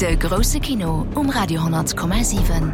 De grousse Kino um Radio 10,7.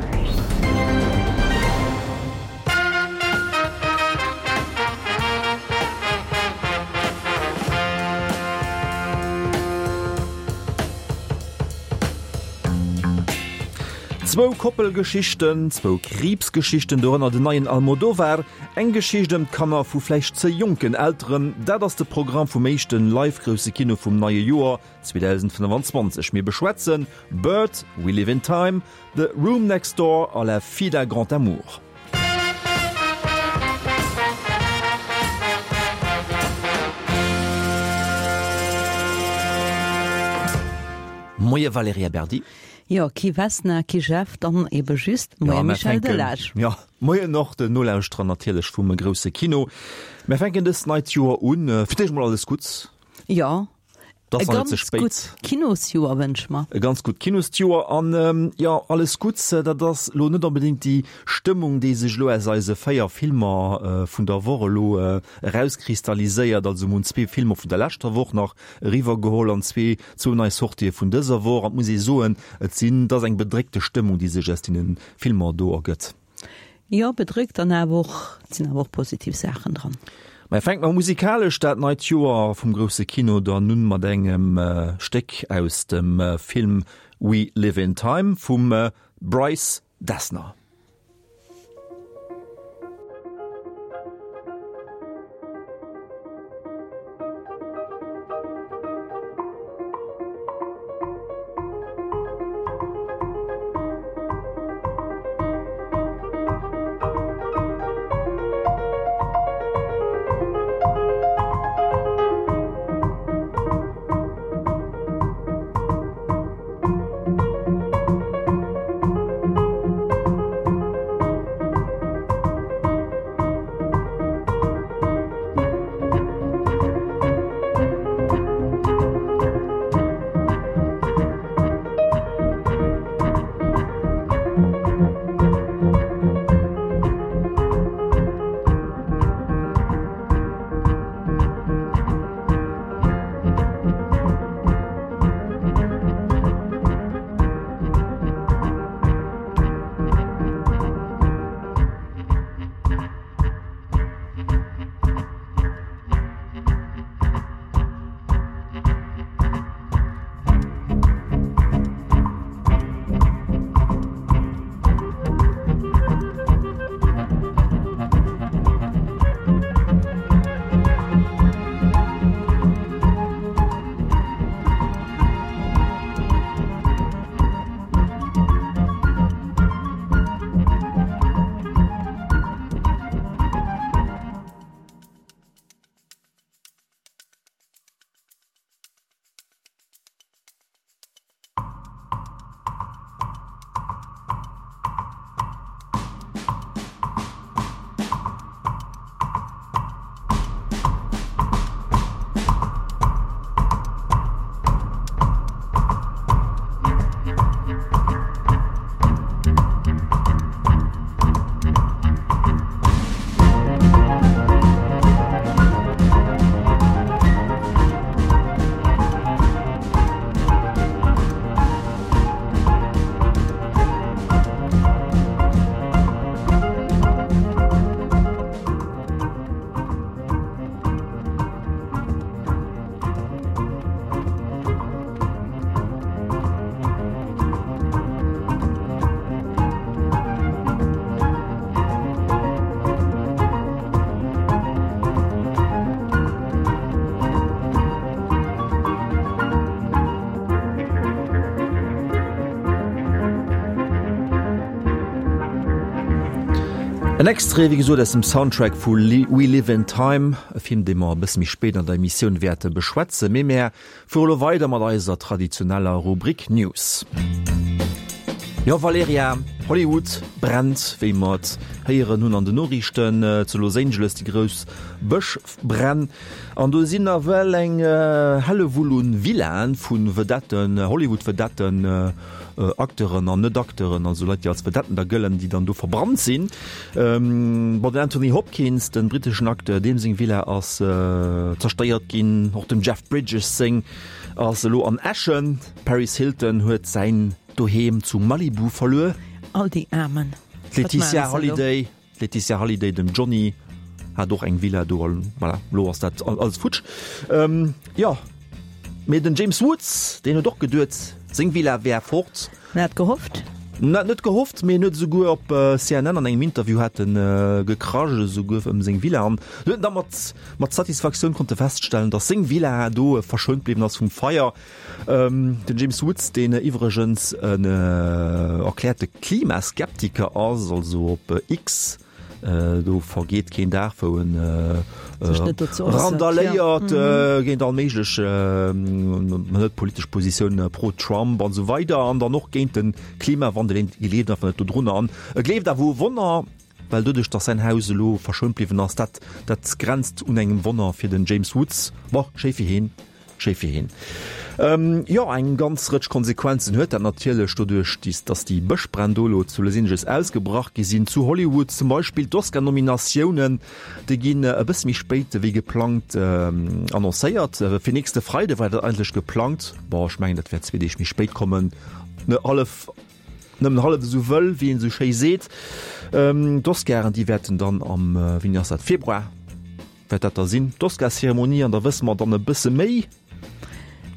Zwou Koppelgeschichten, zwou Kriibsgeschichten, dorënner den neien Almodovar, eng Geschicht ëm d'Kanner vu vläicht ze jonken Elteren, dat ass de Programm vum éischte live-grousse Kino vum neie Joer 2025. Mir beschwätzen Bird, We Live in Time, The Room Next Door a La Fille d'un Grand Amour. Moie Valerija Berdi. Jo, kee Vesna, kee Jeff, dann ebe just Moie Michel Delage. Jo, moien och den Nolauschterer natierlech vum grousse Kino. Mär fänken dëst neit Joer un. Fir d'éischt mol alles Gutts. Jo, E ganz gutt Kinosjoer wënsche mer. E ganz gutt Kinosjoer an jo, alles Gutts. Dat ass elo net onbedéngt déi Stëmmung, déi sech elo aus eise 4 Filmer vun der Woch elo erauskristalliséiert. Also mir hunn zwee Filmer vun der leschter Woch nach eriwwergeholl an zwee, zwou nei Sortië vun dëser Woch. An et muss ee soen, et sinn, et ass eng bedréckte Stëmmung, déi sech aus deene Filmer do ergëtt. Jo, bedréckt an awer och, et sinn awer och positiv Saachen dran. Mä fänke mer musikalesch dat neit Joer vum grousse Kino dann un mat engem Stéck aus dem Film We Live in Time vum Bryce Dessner. En Extrait, wéi gesot, aus dem Soundtrack vu We Live in Time, e Film, dee mer e bësse méi spéit an der Emissioun wäerte beschwätzen. Mee mär Fuere lo weider mat eiser traditioneller Rubrik News. Jo Valerija, Hollywood brennt, wéi mer et héieren hunn an den Noriichten. Zu Los Angeles déi grouss Bëschbränn. An do sinn nawell eng Hellewull un Villaen vu Vedetten, Hollywood-Vedetten, Acteuren an Net-Acteuren, also Leit, déi als Vedetten da gëllen, déi dann do verbrannt sinn. Bon, den Anthony Hopkins, den britteschen Acteur, deem seng Villa ass zerstéiert ginn, och dem Jeff Bridges seng. Ass elo an Äschen. D'Paris Hilton huet säin Doheem zu Malibu verluer. All déi Aarmen. D'Laetitia Hallyday, d'Laetitia Hallyday, dem Johnny hat och eng Villa do. Voilà, elo ass dat alles futsch. Jo, mee den James Woods, deen huet och geduet, seng Villa wär fort. En hat gehofft. En hat net gehofft, mee en huet esouguer op CNN an engem Interview hat en gekrasch esouguer ëm seng Villa an huet en da mat mat Satisfaktioun konnte feststellen, datt seng Villa do verschount bliwwen ass vum Feier. Den James Woods, deen iwwregens en erkläerte Klimaskeptiker ass, also op X, Do vergeet keen Dag, wou en randaléiert géint all méiglech net politesch Positioun pro Trump an esou weider an dann och géint de Klimawandel. Hien gleeft einfach net dodrunner an e gleeft awer u Wonner, well doduerch, datt säin Haus elo verschount bliwwen ass, dat dat grenzt un engem Wonner fir den James Woods. Bon, schéi fir hien. Schéi fir heen. Jo, eng ganz Rëtsch Konsequenzen huet dat natierlech, doduerch datt déi Bëschbränn do elo zu Los Angeles ausgebrach gi sinn. Zu Hollywood zum Beispill d'Oscar-Nominatiounen, déi ginn e bësse méi spéit wéi geplangt annoncéiert. Fir nächste Freide war dat eigentlech geplangt. Bon, ech mengen, dat wäert zwee Deeg méi spéit kommen, ne hallef, nëmmen hallef esou wëll, wéi een esou schéi seet. D'Oscaren, déi wäerten dann am, wéini ass dat, Februar? Wäert dat da sinn, d'Oscar-Zeremonie, an da wësse mer dann e bësse méi.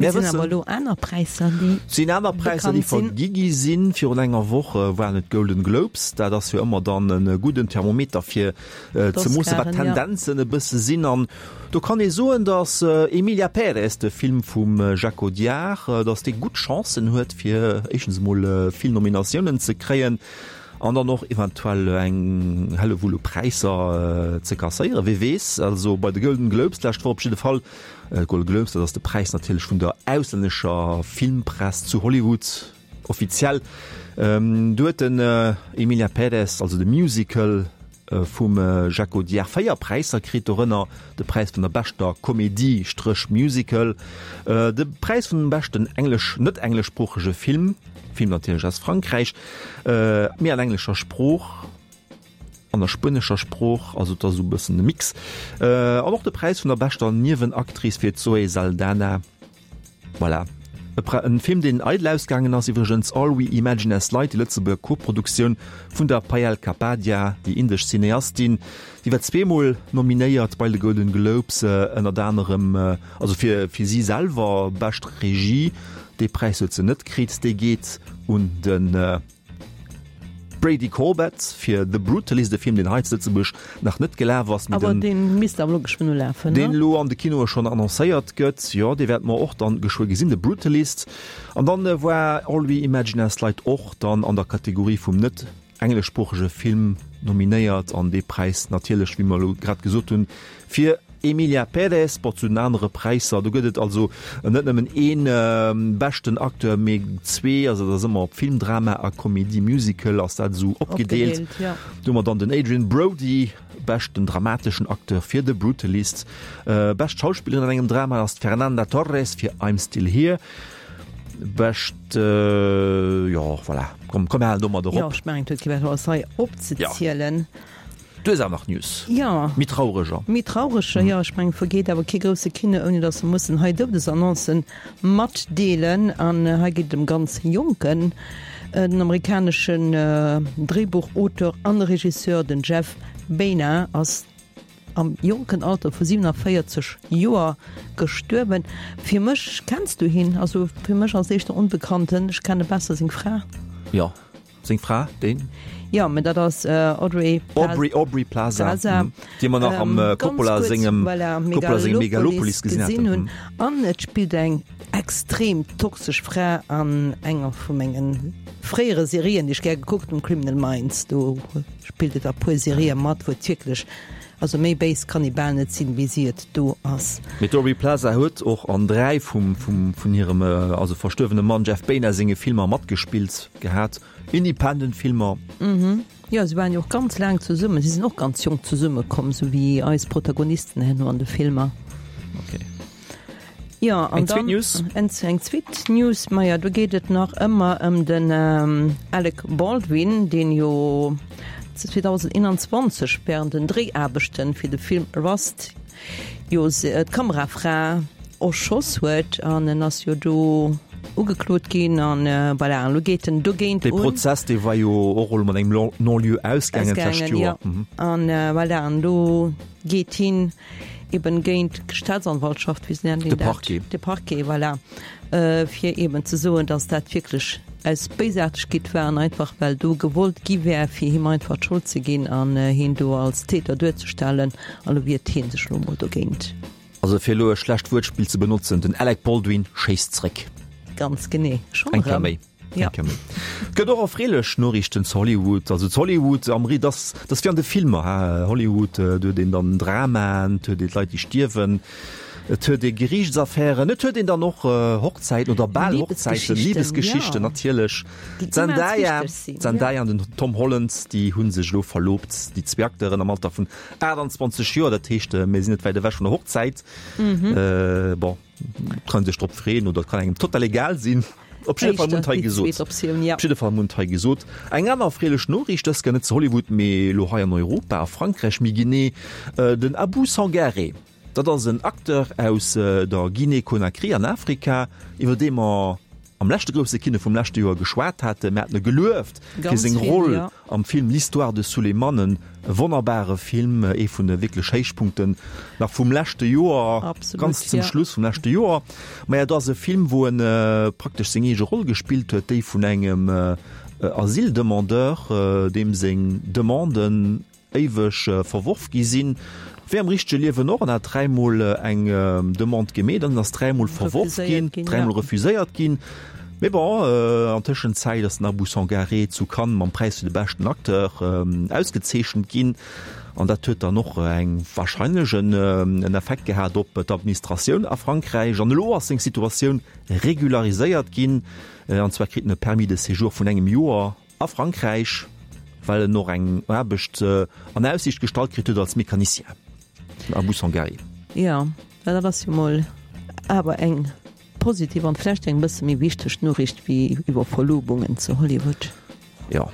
Mir sinn awer elo aner Präisser, déi sinn aner Präisser, déi vergi gi sinn. Virun enger Woch waren et d'Golden Globes. Dat ass jo ëmmer dann e gudden Thermometer fir ze moossen, wat d'Tendenzen e bësse sinn. An do kann ee soen, datt Emilia Pérez, de Film vum Jacques Audiard, datt dee gutt Chancen huet, fir éischtens emol vill Nominatiounen ze kréien. An dann och eventuell eng Hellewull u Präisser ze kasséieren, wee weess. Also bei de Golden Globes d'lescht Woch op jidde Fall. Golden Globes, dat ass de Präis natierlech vun der auslännescher Filmpress zu Hollywood, offiziell. Do huet den Emilia Pérez, also de Musical vum Jacques Audiard, 4 Präisser kritt, dorënner de Präis vun der beschter Komedie, Stréch Musical, de Präis vum beschten englesch, net engleschsproochege Film, Film natierlech aus Frankräich, mee an englescher Sprooch, an der spuenescher Sprooch, also et ass esou e bëssen e Mix, an och de Präis vun der beschter Niewenactrice fir d'Zoé Saldana. Voilà. E Pre en Film, deen eidel ausgaangen ass iwwregens, All We Imagine As Light, déi Lëtzebuerger Koproduktioun vun der Payal Kapadia, déi indesch Cineastin. Déi war zweemol nominéiert bei de Golden Globes, ënnert anerem also fir fir si selwer, bescht Regie. Dee Präis huet se net kritt, dee geet un de Brady Corbet fir The Brutalist, e Film, deen hei zu Lëtzebuerg nach net gelaf ass, mee den. Awer dee misst awer elo geschwënn ulafen, ne? Deen elo an de Kinoe schonn annoncéiert gëtt. Jo, dee wäerte mer och dann geschwë gesinn, The Brutalist. An dann war All We Imagine As Light och dann an der Kategorie vum net engleschsproochege Film nominéiert an dee Präis natierlech, wéi mer elo grad gesot hunn, fir Emilia Pérez. Bon, zu den anere Präisser, do gëtt et also net nëmmen ee beschten Acteur, mee zwee, also dat ass ëmmer op Film, Drama a Comédie Musical ass dat esou opgedeelt. Do hu mer dann den Adrien Brody, beschten dramateschen Acteur fir The Brutalist. Bescht Schauspillerin an engem Drama ass d'Fernanda Torres fir I'm Still Here. Bescht, jo, voilà, komm, komm, mir halen domadder op. Jo, ech mengen, et huet kee méi was hei opzezielen. Du hues awer nach News. Jo. Méi traureger. Méi traureger, jo. Ech mengen, et vergeet awer kee grousse Kino, ouni datt se mussen hei Doudesannoncen matdeelen. An hei geet et ëm ganz Jonken. Den amerikaneschen Dréibuchauteur an Regisseur, den Jeff Baena, ass am jonken Alter vu 47 Joer gestuerwen. Fir mech, kenns du hien? Also fir mech ass éischter Onbekannten, ech kenne besser seng Fra. Jo, seng Fra, deen? Jo, mä dat ass Audrey Pla Aubrey, Aubrey Plaza, Plaza, déi mer nach am Coppola sengem, voilà, Coppola sengem Megalopolis gesinn hunn. An et spillt eng extrem toxesch Fra an enger vu mengen fréiere Serien, déi ech gär gekuckt hunn, Criminal Minds. Do spillt et a puer Serië mat, wou et wierklech, also méi béis kann ee bal net sinn, wéi si et do ass. Mee d'Aubrey Plaza huet och an 3 vum vun hirem also verstuerwene Mann Jeff Baena senge Filmer matgespillt gehat, Independent Filmer. Jo, si waren jo och ganz laang zesummen. Si sinn och ganz jonk zesummekomm, sou wéi eis Protagonisten herno an de Filmer. Okay. Jo, an Eng zweet dann News? eng eng zweet News, maja, do geet et nach ëmmer ëm den Alec Baldwin, deen jo 2021 während den Dréiaarbechten fir de Film Rust jo d'Kamerafra. erschoss huet an en ass jo do ugeklot ginn an voilà, an elo geet en dogéint un. Dee Prozess, dee war jo och elo mat engem Non-lieu ausgaangen d'lescht Joer. Ausgaangen, jo. An voilà, an do geet hien eben géint d'Staatsanwaltschaft, wéi nennt een dat? De Parquet. De Parquet, voilà, fir eben ze soen, datt dat wierklech aus Béisaartegkeet war an einfach well do gewollt gi wär, fir him einfach d'Schold ze ginn an hien do als Täter duerzestellen. An elo wiert hie sech elo emol dogéint. Also fir elo e schlecht Wuertspill ze benotzen, den Alec Baldwin schéisst zréck. Ganz genee. Schonn erëm. Eng Kéier méi. Ja. Eng Kéier méi. Et gëtt och erfreelech Noriichten zu Hollywood. Also zu Hollywood am Ri, dass dass wéi an de Filmer, ha, Hollywood, do huet een dann Dramaen, et huet ee d'Leit déi stierwen, et huet ee Geriichtsaffären, et huet een dann och Hochzäiten oder bal Hochzäiten, Libesgeschichten ja. natierlech. Déi immens D'Zendaya, wichteg sinn, ja. d'Zendaya an den Tom Holland, déi hu sech elo verlobt, déi zwee Acteuren am Alter vun 28 Joer, dat heescht, mir sinn net wäit ewech vun der Hochzäit. Bon, kann sech drop freeën oder et kann engem total egal sinn. Op jidde Fall Mund hei gesot. Op jidde Fall Mund hei gesot. Eng aner erfreelech Noriicht, dës Kéier net zu Hollywood, mee elo hei an Europa, a Frankräich méi genee, den Abou Sangaré, dat ass en Acteur aus der Guinée-Conakry an Afrika, iwwer dee mer am leschte grousse Kino vum leschte Joer geschwat haten. Mir haten e gelueft fir seng Roll am Film L'histoire de Souleymane, e wonnerbare Film, ee vun de wierklech Héichpunkten nach vum leschte Joer, ganz zum Schluss vum leschte Joer. Maja, et ass e Film, wou en praktesch seng eege Roll gespillt huet, déi vun engem Asyldemandeur, deem seng Demanden éiweg verworf gi sinn, wéi am richtege Liewen och, an hat dräimol eng Demande gemeet an ass dräimol verworf ginn, dräimol refuséiert ginn. Mee bon, an Tëschenzäit ass den Abou Sangaré zu Cannes mam Präis fir de beschten Acteur ausgezeechent ginn an dat huet dann och eng warscheinlech en Effekt gehat op d'Administratioun a Frankräich. An elo ass seng Situatioun regulariséiert ginn, an zwar kritt en e Permis de séjour vun engem Joer. A Frankräich, well en och eng Aarbecht an Aussiicht gestallt kritt huet als Mecanicien, den Abou Sangaré. Jo, dat ass jo mol awer eng positiv an vläicht eng bësse méi wichteg Noriicht wéi iwwer Verlobungen zu Hollywood. Jo,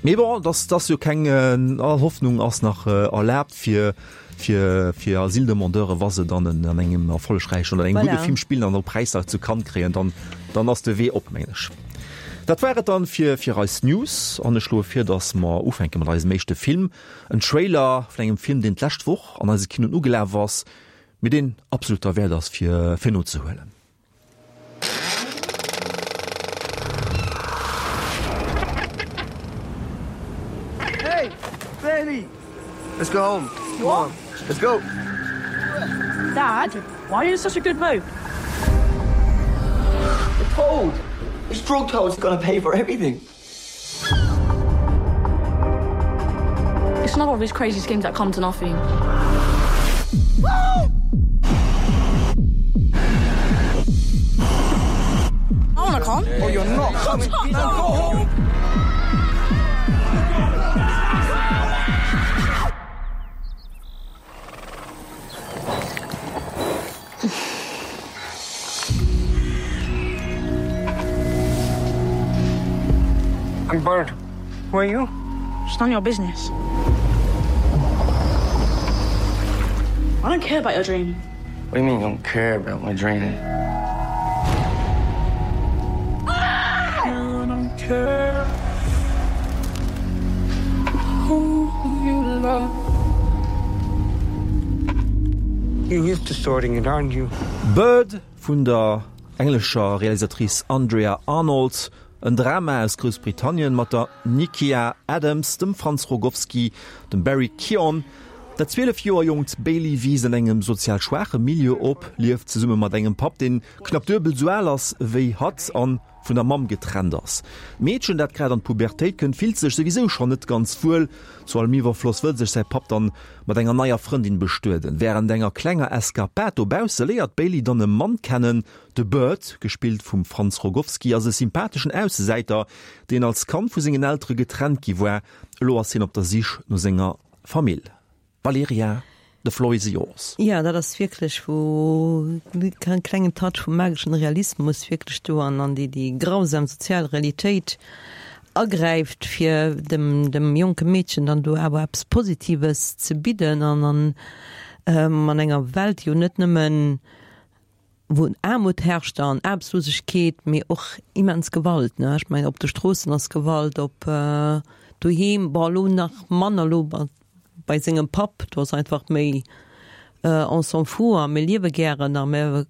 mee bon, et ass jo keng, all Hoffnung ass nach erlaabt fir fir fir Asyldemandeure wa se dann en an engem erfollegräichen oder engem gudde Film spillen an och Präisser zu Cannes kréien, dann dann ass de Wee op, mengen ech. Dat war et dann fir fir eis News an ech schloe vir, dass mer ufänke mat eisem éischte Film, en Trailer vun engem Film, deen d'lescht Woch an eise Kinoen ugelaf ass, mee deen absolut derwäert ass fir fir nozehuelen. Hey, baby, let's go home. Come on, let's go. Dad, why are you in such a good mood? The toad! This drug toad's gonna pay for everything. It's another one of these crazy schemes that come to nothing. I wanna come. Oh, you're not coming. Now go home. I'm Bird. Who are you? It's none of your business. I don't care about your dream. What do you mean you don't care about my dream? You don't care who you love. You're used to sorting it, aren't you? Bird vun der englescher Realisatrice Andrea Arnold, en Drama aus Groussbritannien mat der Nykia Adams, dem Franz Rogowski, dem Barry Keoghan. Dat 12 Joer jonkt Bailey wiisst an engem sozial schwaache Milieu op, lieft zesumme mat engem Papp, deen knapp duebel sou al ass wéi hatt an vun der Mamm getrennt ass. D'Meedchen, dat grad an d'Pubertéit kënnt, fillt sech souwisou schonn net ganz wuel. Zu allem Iwwerfloss wëll sech säi Papp dann mat enger neier Frëndin bestueden. Wärend enger klenger Eskapad dobausse léiert d'Bailey dann e Mann kennen, de Bert, gespillt vum Franz Rogowski, ass e sympatheschen Aussesäiter, deen als Kand vu sengen Eltere getrennt gi war. Elo ass hien op der Sich no senger Famill. Valerija, the floor is yours. Jo, dat ass wierklech, wou e klengen Touch vum mageschen Realismus wierklech do an an déi déi grausam sozial Realitéit agräift, fir dem dem jonke Meedchen dann do awer eppes Positives ze bidden an an an enger Welt, déi jo net nëmmen. Wou Aarmut herrscht an Aarbechtslosegkeet, mee och immens Gewalt, ne? Ech mengen, op de Stroossen ass Gewalt, op doheem, bon, elo nach manner elo bei sengem Papp, do ass einfach méi on s'en fout a mir liewe gären a mir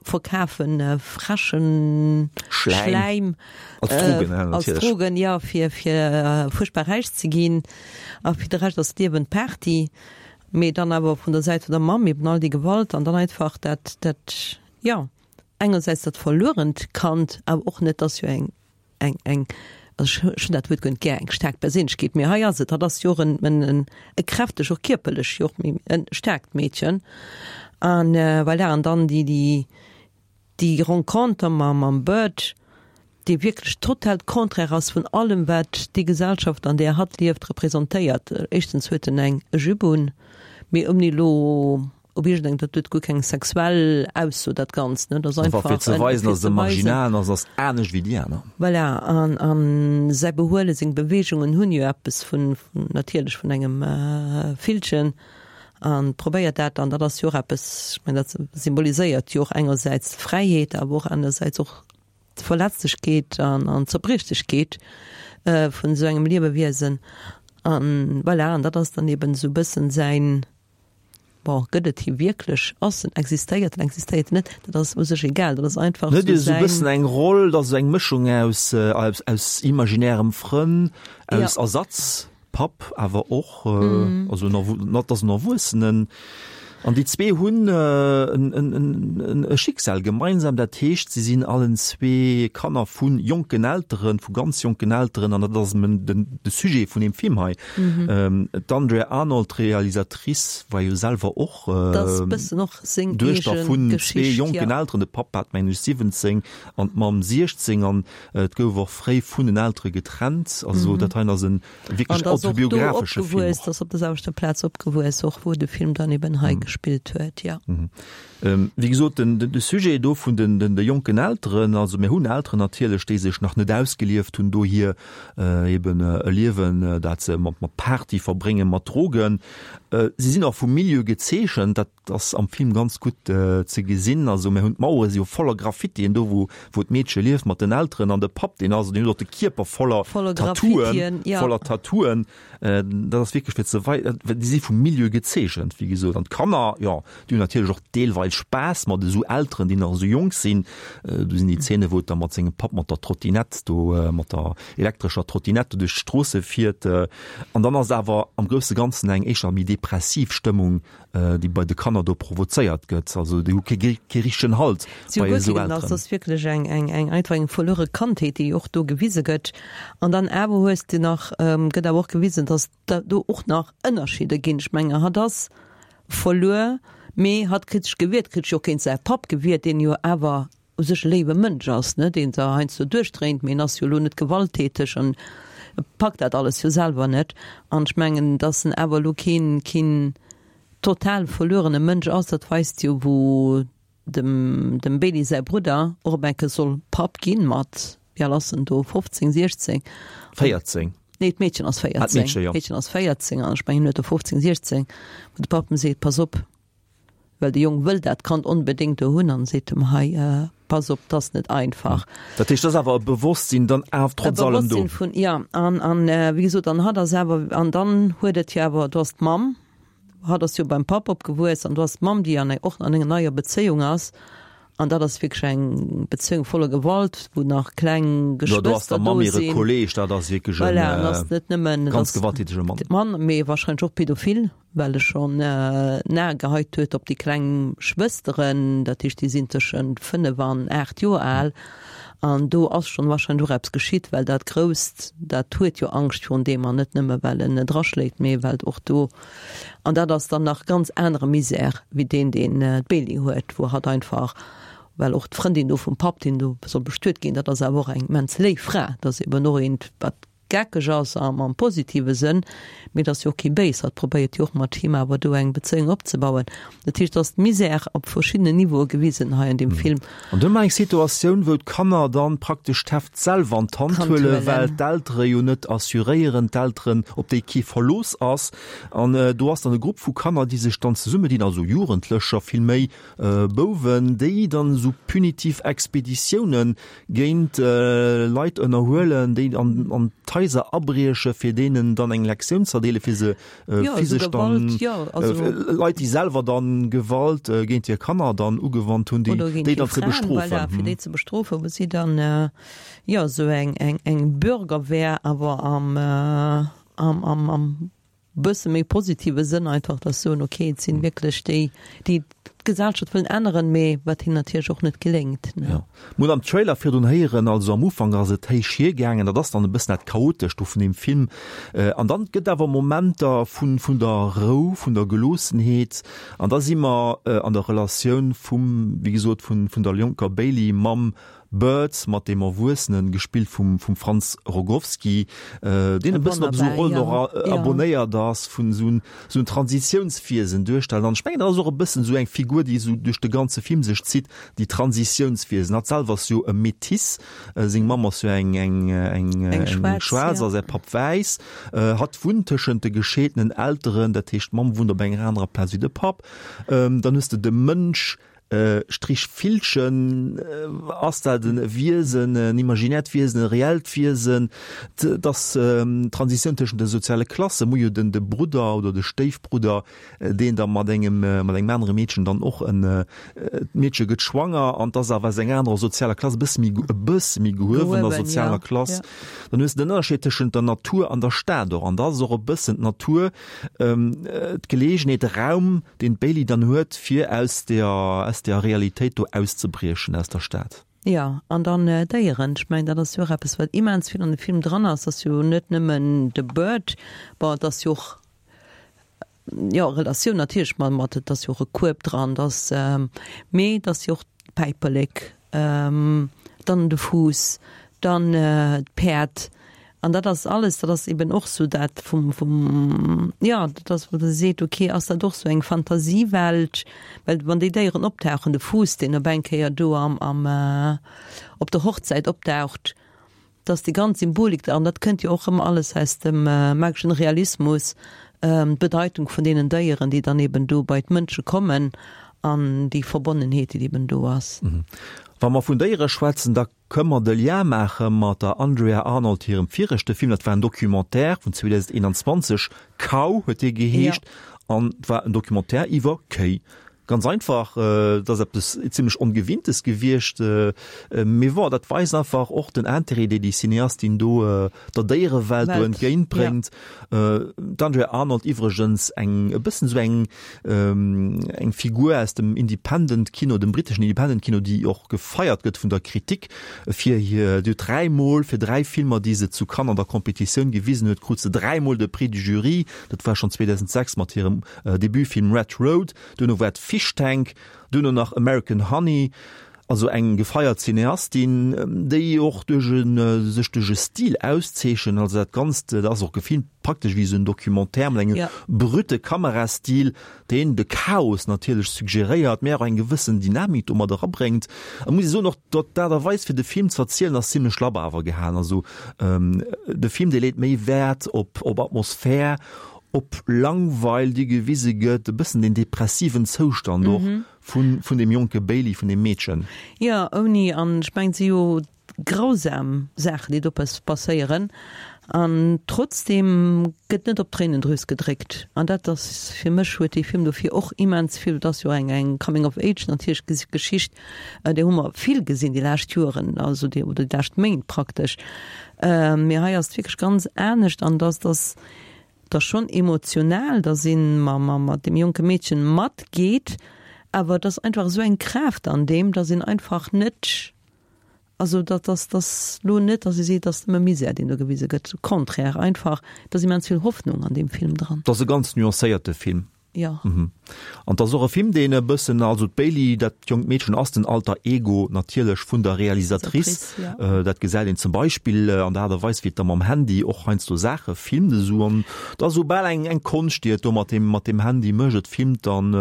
verkafe freschen Schläim als Drogen, jo, fir fuerchtbar räich ze ginn a fir de Rescht ass d'Liewen Party. Mee dann awer vun der Säit vun der Mamm eben all déi Gewalt an dann einfach dat, dat, jo, engersäits dat verluerent Kand, awer och net, dass jo eng, eng, eng, also ech hunn dat Wuert guer net gär, eng staark Perséinlechkeet, mee hei ass et, hatt ass jo och en, en, e kräfteg, och kierperlech jo och méi e staarkt Meedchen. An voilà, an dann déi, déi, Déi Renconter mam Bird, dee wierklech total d'Contraire ass vun allem, wat déi Gesellschaft, an där hatt lieft, representéiert. Éischtens huet en eng Jupe un, mee ouni elo op iergendeng, dat huet guer keng sexuell Ausso, dat Ganzt, ne, dat ass einfach. Einfach fir ze weisen, dass e marginal ass, ass anescht wéi déi aner. Voilà, an a säi Behuelen, seng Beweegungen hunn jo eppes vun, natierlech vun engem Villchen. An probéiert dat dann, dat ass jo och eppes, ech mengen dat symboliséiert jo och engersäits d'Fräiheet, awer och anersäits och d'Verletzlechkeet an an d'Zerbriechlechkeet vun esou engem Liewewiesen. An voilà, an dat ass dann eben esou e bëssen säin, bon, gëtt et hie wierklech, ass en, existéiert en, existéiert en net, dat ass u sech egal, dat ass einfach esou säin. Huet esou e bëssen eng Roll, dat ass esou eng Mëschung aus aus imaginärem Frënn, aus Ersatz. Papp awer och, also en ass en Erwuessenen. An déi zwee hunn e Schicksal gemeinsam, dat heescht, si sinn allen zwee Kanner vu jonken Elteren, vu ganz jonken Elteren, an dat ass de Sujet vun deem Film hei. D'Andrea Arnold, d'Realisatrice, war jo selwer och Duechter vun zwee jonken Elteren, de Papp hat mengen ech 17 an d'Mamm 16, an Et gouf och fréi vun den Eltere getrennt. Also dat heien ass e wierklech autobiografesche Film och. Ass op der selwechter Plaz opgewuess och, wou de Film dann eben hei gespillt huet, jo. Wéi gesot, den de Sujet do vun den de jonken Elteren, also mir hunn Elteren natierlech, déi sech nach net ausgelieft hunn, dohier eben e Liewen, dat se mat mat Party verbréngen, mat Drogen. Si sinn och vum Milieu gezeechent, dat Dat ass am Film ganz gutt ze gesinn. Also mir hunn d'Mauere si jo voller Graffitien, do wou wou d'Meedche lieft mat den Elteren an de Papp deen ass, deen huet och de Kierper voller Voller Tattooen, Graffitien, ja. voller Tattooen. Dat ass wierklech fir ze wei déi si vum Milieu gezeechent, wéi gesot. An d'Kanner, jo, déi hunn natierlech och deelweis Spaass mat esou Elteren, déi nach esou jonk sinn. Do sinn déi Zeene wou et da mat sengem Papp mat der Trottinett do, mat der elektrescher Trottinett do duerch d'Stroosse fiert. An dann ass awer am grousse Ganzen eng éischter méi depressiv Stëmmung déi bei de Kanner do provozéiert gëtt. Also déi hu kee kee richtegen Halt Si hu bei guer esou keen, ass Elteren. ass wierklech eng eng eng einfach eng verluere Kandheet, déi och do gewise gëtt. An dann awer hues de nach, gëtt awer och gewisen, datt da do och nach Ënnerscheeder ginn. Ech menge hatt ass verluer, mee hatt kritt sech gewiert, kritt sech och géint säi Papp gewiert, deen jo awer u sech e léiwe Mënsch ass, ne, deen da heiansdo duerchdréint, mee en ass jo elo net gewalttäteg an e packt dat alles jo selwer net. An ech mengen, datt en awer elo keen, keen total verluerene Mënsch ass, dat weist jo, wou dem, dem Bailey säi Brudder och op eng Kéier soll Papp ginn, mat, wéi al ass en do, 15, 16? 14. Nee, d'Meedchen ass 14. Ah, d'Meedchen, jo. D'Meedchen ass 14 an ech mengen, en huet der 15, 16, wou de Papp em seet, Pass op, Well de Jong wëll dat Kand onbedéngt do hunn an seet em, hei, pass op, 't ass net einfach. Dat heescht, et ass awer e Bewosstsinn dann awer trotz allem do. E Bewosstsinn vun, jo, an, an wéi gesot, an hatt ass awer, an dann huet et jo awer, do ass d'Mamm, hatt ass jo beim Papp opgewuess an do ass d'Mamm, déi an, och an enger neier Bezéiung ass, an dat ass wierklech eng Bezéiung voller Gewalt, wou nach kleng Jo, do ass Geschwëster der Mamm do hire sinn. Kolleg, dat ass wierklech Voilà, an ass e net nëmmen, ganz gewalttätege Mann. Mann, mee wahrscheinlech och pädophil. well e schonn en A geheit huet op déi kleng Schwësteren, dat heescht déi sinn tëschent 5 an 8 Joer al, an do ass schonn wahrscheinlech och eppes geschitt, well dat Grousst, dat huet jo Angscht virun deem, an net nëmme well en et eraschléit, mee well och do, an dat ass dann nach ganz anere Misär wéi deen, deen d'Bailey huet, wou hatt einfach, well och d'Frëndin do vum Papp, deen do soll bestuet ginn, dat ass awer och eng immens léif Fra, dat ass eben och eent, wat. geckeg ass am am positive Sënn, mee et ass jo och kee Béis, hatt probéiert jo och mat him awer do eng Bezéiung opzebauen. Dat heescht, et ass d'Misère op verschiddenen Niveaue gewisen hei an deem Film. An du hu mer eng Situatioun, wou d'Kanner dann praktesch d'Heft selwer an d'Hand huelen, well d'Eltere jo net assuréieren, d'Elteren, op déi kee Verlooss ass. An do ass dann e Grupp vu Kanner, déi sech dann zesummedinn, also Jugendlecher villméi, Bouwen, déi dann esou punitiv Expeditiounen géint Leit ënnerhuelen, déi an d'Haiser abrieche fir deenen dann eng Lektioun z'erdeelen, fir se physesch dann, Leit, déi selwer dann Gewalt géint hir Kanner dann ugewannt hunn, déi dann ze bestrofen. Fir déi ze bestrofen, wou si dann, jo, esou eng Bürgerwehr awer am, am, am bësse méi positive Sënn einfach, dass soen, ok, et sinn wierklech déi, déi d'Gesellschaft wëllen änneren, mee wat hinnen natierlech och net geléngt, ne. Jo. Mir hunn am Trailer virdrun héieren, also am Ufank ass et héich hiergaangen, dat ass dann e bëssen dat Chaotescht do vun deem Film. An dann gëtt awer Momenter vun, vun der Rou, vun der Geloossenheet an da si mer an der Relatioun vum, wéi gesot, vun, vun der jonker Bailey mam Birds mat deem Erwuessenen, gespillt vum vum Franz Rogowski, deen e bëssen op esou Rollen och abonéiert ass, vun esou esou en Transitiounswiesen duerstellen. An ech mengen, dat ass och e bëssen esou eng Figur, déi esou duerch de ganze Film sech zitt, déi Transitiounswiesen. Hatt selwer ass jo e Métis, seng Mamm ass jo eng eng eng eng Schwaarz a säi Papp wäiss. Hatt wunnt tëschent de gescheedenen Elteren, dat heescht d'Mamm wunnt op enger anerer Plaz wéi de Papp. Dann hues de de Mënsch, Strich Villchen, ass dat e Wiesen, en imaginäert Wiesen, e reellt Wiesen? Et ass d'Transitioun tëschent de soziale Klassen. Mir hu jo den de Brudder oder de Stéifbrudder, deen da mat engem mat engem anere Meedchen dann och en, d'Meedche gëtt schwanger an 't ass awer aus enger anerer sozialer Klass, e bësse méi e bësse méi gehuewener sozialer Klass. Dann hues de den Ënnerscheed tëschent der Natur an der Stad och. An da ass och e bëssen d'Natur, d'Geleegenheet, de Raum, deen d'Bailey dann huet, fir aus der, aus der Realitéit do auszebriechen, aus der Stad. Jo, an dann Déieren. Ech mengen, dat ass jo och eppes, wat immens vill an de Film dran ass. Ass jo net nëmmen de Bird, bon, et ass jo och, jo, Relatioun natierlech mat, mat, et ass jo och e Kueb dran, et ass, mee et ass jo och d'Päiperlek, dann de Fuuss, dann d'Päerd. An dat ass alles, dat ass eben och sou dat vum, vum, jo, dat ass, wou der seet, okay, ass dat och sou eng Fantasiewelt? Well wann déi Déieren optauchen, de Fuuss, deen op eng Kéier do am, am, op der Hochzäit opdaucht, dass déi ganz Symbolik da, an dat kënnt jo och ëmmer alles aus dem mageschen Realismus, d'Bedeitung vun deenen Déieren, déi dann eben do bei d'Mënsche kommen an déi Verbonnenheet, déi eben do ass. Wa mer vun Déiere schwätzen, da kënne mer de Lien maache mat der Andrea Arnold hirem viregte Film. Dat war en Documentaire vun 2021, Cow huet dee geheescht, an et war en Documentaire iwwer Kéi. Ganz einfach, et ass eppes zimlech Ongewinntes gewiescht, mee bon, dat weist einfach och den Intérêt, dee déi Cineastin do der Déierewelt do entgéint bréngt. D'Andrea Arnold iwwregens eng e bëssen esou eng eng Figur aus dem Independent Kino, dem britteschen Independent Kino, déi och gefeiert gëtt vun der Kritik fir hir, déi huet dräimol fir dräi Filmer, déi se zu Cannes an der Competitioun gewisen huet, krut se dräimol de Prix du Jury. Dat war schonn 2006 mat hirem Debutfilm Red Road, duerno war et Fish Tank, duerno nach American Honey. Also eng gefeiert Cineastin, déi och duerch e sech duerch e Stil auszeechent. Also dat Ganzt, dat ass och gefilmt praktesch wéi esou en Documentaire mat engem brute Kamerastil, deen de Chaos natierlech suggeréiert, mä och eng gewëssen Dynamik do mat erabréngt. A muss ee soen, och d'Aart a Weis fir de Film ze erzielen ass zimlech labber awer gehalen. Also de Film, dee leet méi Wäert op op Atmosphär, op Langweil, déi gewise gëtt, e bëssen deen depressiven Zoustand och vun, vun deem jonke Bailey, vun deem Meedchen. Jo, ouni, an ech mengen, et si jo grausam Saachen, déi do passéieren, an trotzdeem gëtt net op d'Tréinendrüs gedréckt. An dat ass, fir mech huet dee Film dofir och immens vill, et ass jo eng, eng Coming of Age natierlech Geschicht, där hu mer vill gesinn déi lescht Joeren, also déi, oder déi lescht Méint praktesch, mee hei ass et wierklech ganz anescht an dass, dass, Et ass schonn emotional, dass ee mat deem jonke Meedchen matgeet, awer et ass einfach esou eng Kraaft an deem, dass een einfach net, also dat ass, dass lo net, dass ee seet, et ass nëmme Misär, deen do gewise gëtt. Au contraire, einfach, et ass immens vill Hoffnung an deem Film dran. Et ass e ganz nuancéierte Film. Jo. An 't ass och e Film, deen e bëssen, also d'Bailey, dat jonkt Meedchen ass den Alter Ego natierlech vun der Realisatrice. Dat gesäit een zum Beispill an der Aart a Weis, wéi et da mam Handy och heiansdo Saache filmt esou. An et ass esou bal eng eng Konscht, déi et do mat deem mat deem Handy mécht. Et filmt dann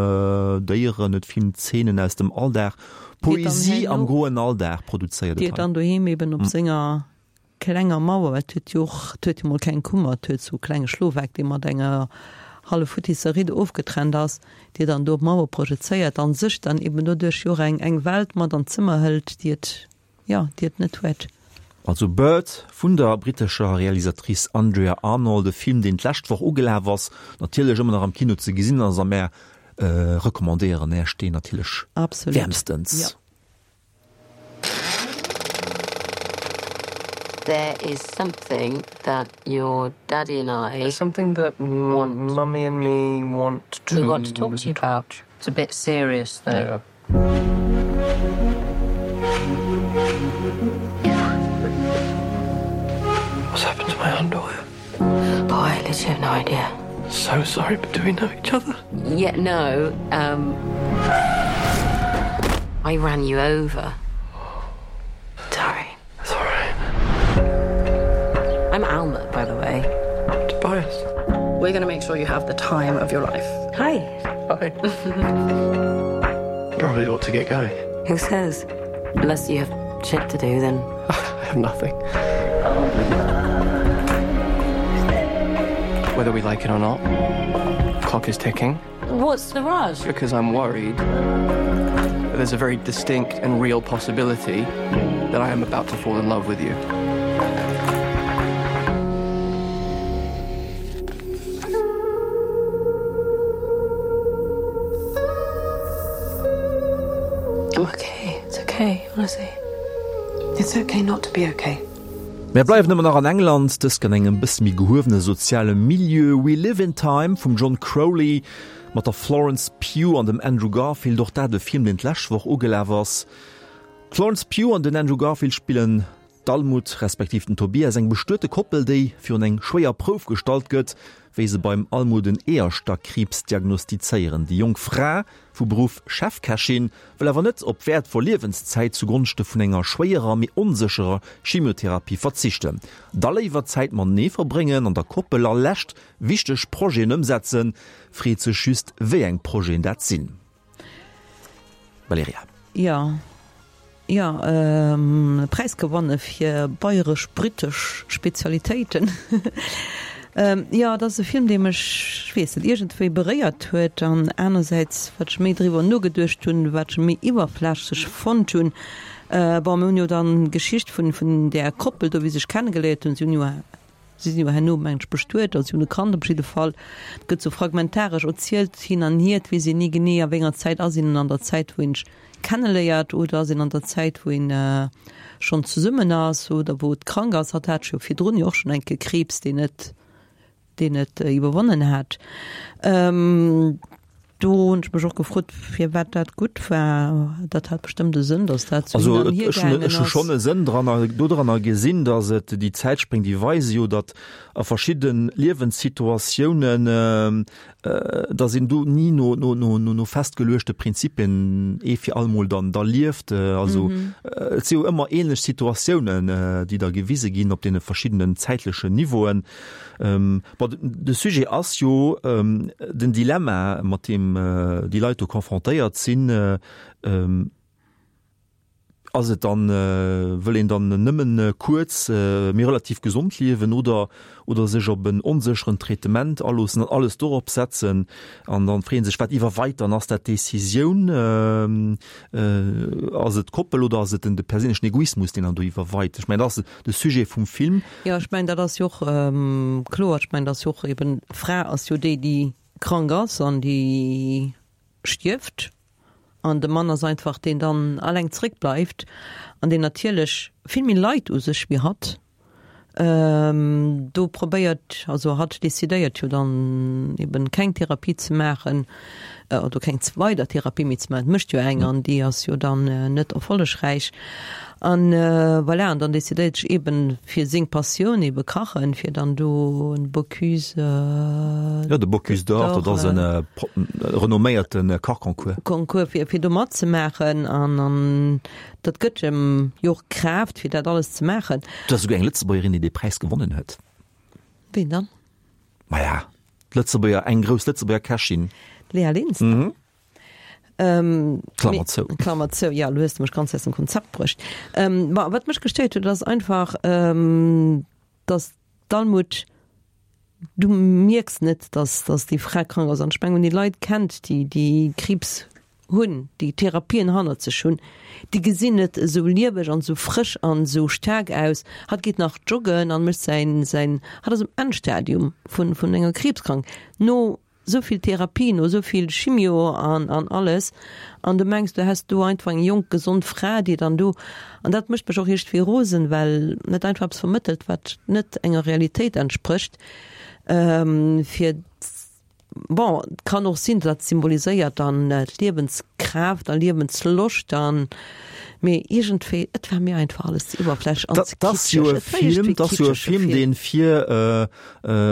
Déieren, et filmt Zeenen aus dem Alldag, Poesie am groen Alldag produzéiert et hei. Déi et dann doheem eben op senger Klenger Mauer, et huet jo och, et huet jo mol keng Kummer, et huet sou e klenge Schlofeck, dee mat enger hallef futtisser Riddo ofgetrennt ass, déi dann do op d'Mauer projezéiert an sech dann eben doduerch jo och eng eng Welt mat an d'Zëmmer hëlt, déi et, jo, déi et net huet. Also Bird vun der brittescher Realisatrice Andrea Arnold, e Film, deen d'lescht Woch ugelaf ass, natierlech ëmmer nach am Kino ze gesinn ass a mär recommandéieren Äech deen natierlech wäermstens. Jo. There is something that your daddy and I There's something that want mummy and me want to we want to talk to you about. It's a bit serious though. Yeah. What's happened to my underwear? Oh, I literally have no idea. So sorry, but do we know each other? Yeah, no. Um, I ran you over. Sorry. That's all right. I'm Alma, by the way. Tobias. We're gonna make sure you have the time of your life. Hi. Hi. Probably ought to get going. Who says? Unless you have shit to do, then I have nothing. Whether we like it or not, the clock is ticking. What's the rush? Because I'm worried that there's a very distinct and real possibility that I am about to fall in love with you. I'm okay. It's okay, honestly. It's okay not to be okay. Mär bleiwen ëmmer nach an England, dëst an engem bësse méi gehuewene soziale Milieu. We Live in Time vum John Crowley mat der Florence Pugh an dem Andrew Garfield, och dat e Film, deen d'lescht Woch ugelaf ass. D'Florence Pugh an den Andrew Garfield spillen d'Almut respektiv den Tobias, eng bestuete Koppel, déi virun eng schwéier Prouf gestallt gëtt, wéi se beim Almut en Eeërstackkriibs diagnostizéieren. Déi jonk Fra vu Beruff Chefkächin, wëll awer net op wäertvoll Liewenszäit zu Gonschte vun enger schwéierer, mee onsécherer Chemiotherapie verzichten. Da léiwer Zäit matenee verbréngen an der Koppel a lescht wichteg Projeten ëmsetzen. Freet sech just, wéi eng Projeten dat sinn. Valerija. Jo, jo, e Präis gewanne fir bayresch-brittesch Spezialitéiten. Jo, et ass e Film, dee mech, ech weess net, iergendwéi beréiert huet an anersäits, wat ech méi driwwer nogeduecht hunn, wat ech méi iwwerflächlech fonnt hunn. Bon, mir hunn jo dann d'Geschicht vun, vun där Koppel do, wéi se sech kennegeléiert hunn. Si hunn jo, si sinn jo herno, mengen ech, bestuet, also si hunn e Kand op jidde Fall. Et gëtt sou fragmentaresch erzielt hin an hier, et weess een ni genee, a wéi enger Zäit ass een an der Zäit, wou een sech kenneléiert oder ass een an der Zäit wou een schonn zesummen ass oder wou et krank ass. Hatt hat jo virdrun jo och schonn eng Kéier Kriibs, deen et deen et iwwerwonnen hat. Do hunn ech mech och gefrot, firwat dat gutt war. Dat hat bestëmmt e Sënn, datt dat sou hin an hier gaangen ass. Ech hu schonn e Sënn dran dodranner gesinn, datt et déi Zäitspréng, déi weise jo, datt a verschidde Liewenssituatiounen dass een do ni no, no, no, no, no festgeluechte Prinzipien ee fir allemol dann da lieft. Also et si jo ëmmer ähnlech Situatiounen, déi da gewise ginn op deene verschiddenen zäitlechen Niveauen. Bon, de Sujet ass jo den Dilemma, mat deem déi Leit do confrontéiert sinn. Ass et dann, wëll een dann nëmmen kuerz, mee relativ gesond liewen oder oder sech op en onsécheren Traitement aloossen an alles dorop setzen? An dann freeën sech, wat iwwerweit dann? Ass dat d'Decisioun? Ass et d'Koppel oder ass et den de perséinlechen Egoismus, deen dann do iwwerweit? Ech mengen, dat ass de Sujet vum Film. Jo, ech mengen, dat ass jo och kloer. Ech mengen, dat ass jo och eben, d'Fra ass jo déi, déi krank ass an déi stierft. An de Mann ass einfach deen dann alleng zréck bleift an deen natierlech vill méi leit u sech wéi hatt. Do probéiert, also hatt decidéiert jo dann eben keng Therapie ze maachen. Oder keng weider Therapie méi ze maachen. Et mécht jo eng an déi ass jo dann net erfollegräich. An voilà, an dann decidéiert sech eben fir seng Passioun, ebe Kachen, fir dann do en Bocuse d'Or. Jo, de Bocuse d'Or, dat ass e renomméierte Kachconcours. Concours, fir fir do matzemaachen. An an dat gëtt em jo och Kraaft, fir dat alles ze maachen. Et ass esouguer eng Lëtzebuergerin, déi dee Präis gewonnen huet. Ween dann? Maja, d'Lëtzebuerger, eng grouss Lëtzebuerger Kächin. D'Léa Linster? Mhm. Klammer zou. Klammer zou, ja, lo hues de mech ganz aus dem Konzept bruecht. Ma wat mech gestéiert huet, ass einfach, dass d'Almut, du mierks net, dass, dass déi Fra krank ass. An ech mengen, wann ee Leit kennt, déi, déi Kriibs hunn, déi Therapien hannert sech hunn, déi gesinn net esou lieweg an esou frësch an esou staark aus. Hatt geet nach joggen an mécht säin, säin, hatt ass um Endstadium vun, vun enger Kriibskrank. No esou vill Therapie, no esou vill Chimio an, an alles, an du mengs, du häss do einfach eng jonk, gesond Fra, déi dann do, an dat mécht mech och iergendwéi rosen, well net einfach eppes vermëttelt, wat net enger Realitéit entsprécht, fir, bon, et kann och sinn, dat symboliséiert dann d'Liewenskraaft a Liewensloscht an, mee iergendwéi, et war mir einfach alles ze iwwerflächlech an ze Dat ass jo kitscheg. e Et war iergendwéi Film, dat ass jo e kitscheg, e Film, Film. deen fir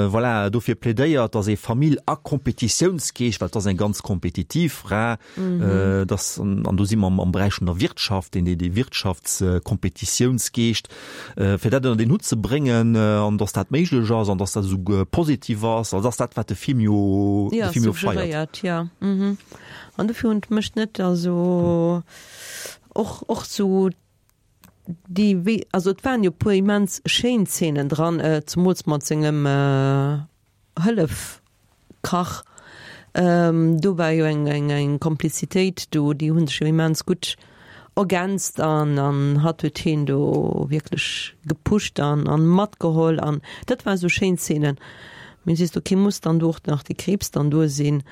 voilà, dofir plädéiert, dass ee Famill a Kompetitiounsgeescht, well et ass eng ganz kompetitiv Fra, dass, an do si mer am Beräich vun der Wirtschaft, deen dee Wirtschaftskompetitiounsgeescht, fir dat ënner deen Hutt ze bréngen an dass dat méiglech ass an dass dat esouguer positiv ass. Also dat ass dat, wat de Film jo, de Film jo feiert. Jo, suggeréiert, jo. An dofir hunn d'mech net, also och, och sou Déi wéi, also et waren jo e puer immens schéin Zeenen dran, zemools mat sengem Hëllefkach. Do war jo eng eng eng Komplizitéit do, déi hu sech jo immens gutt ergänzt an an hatt huet hien do wierklech gepusht an an matgeholl an dat war esou schéin Zeenen. Mee sees du, okay, muss dann do och nach de Kriibs dann do sinn?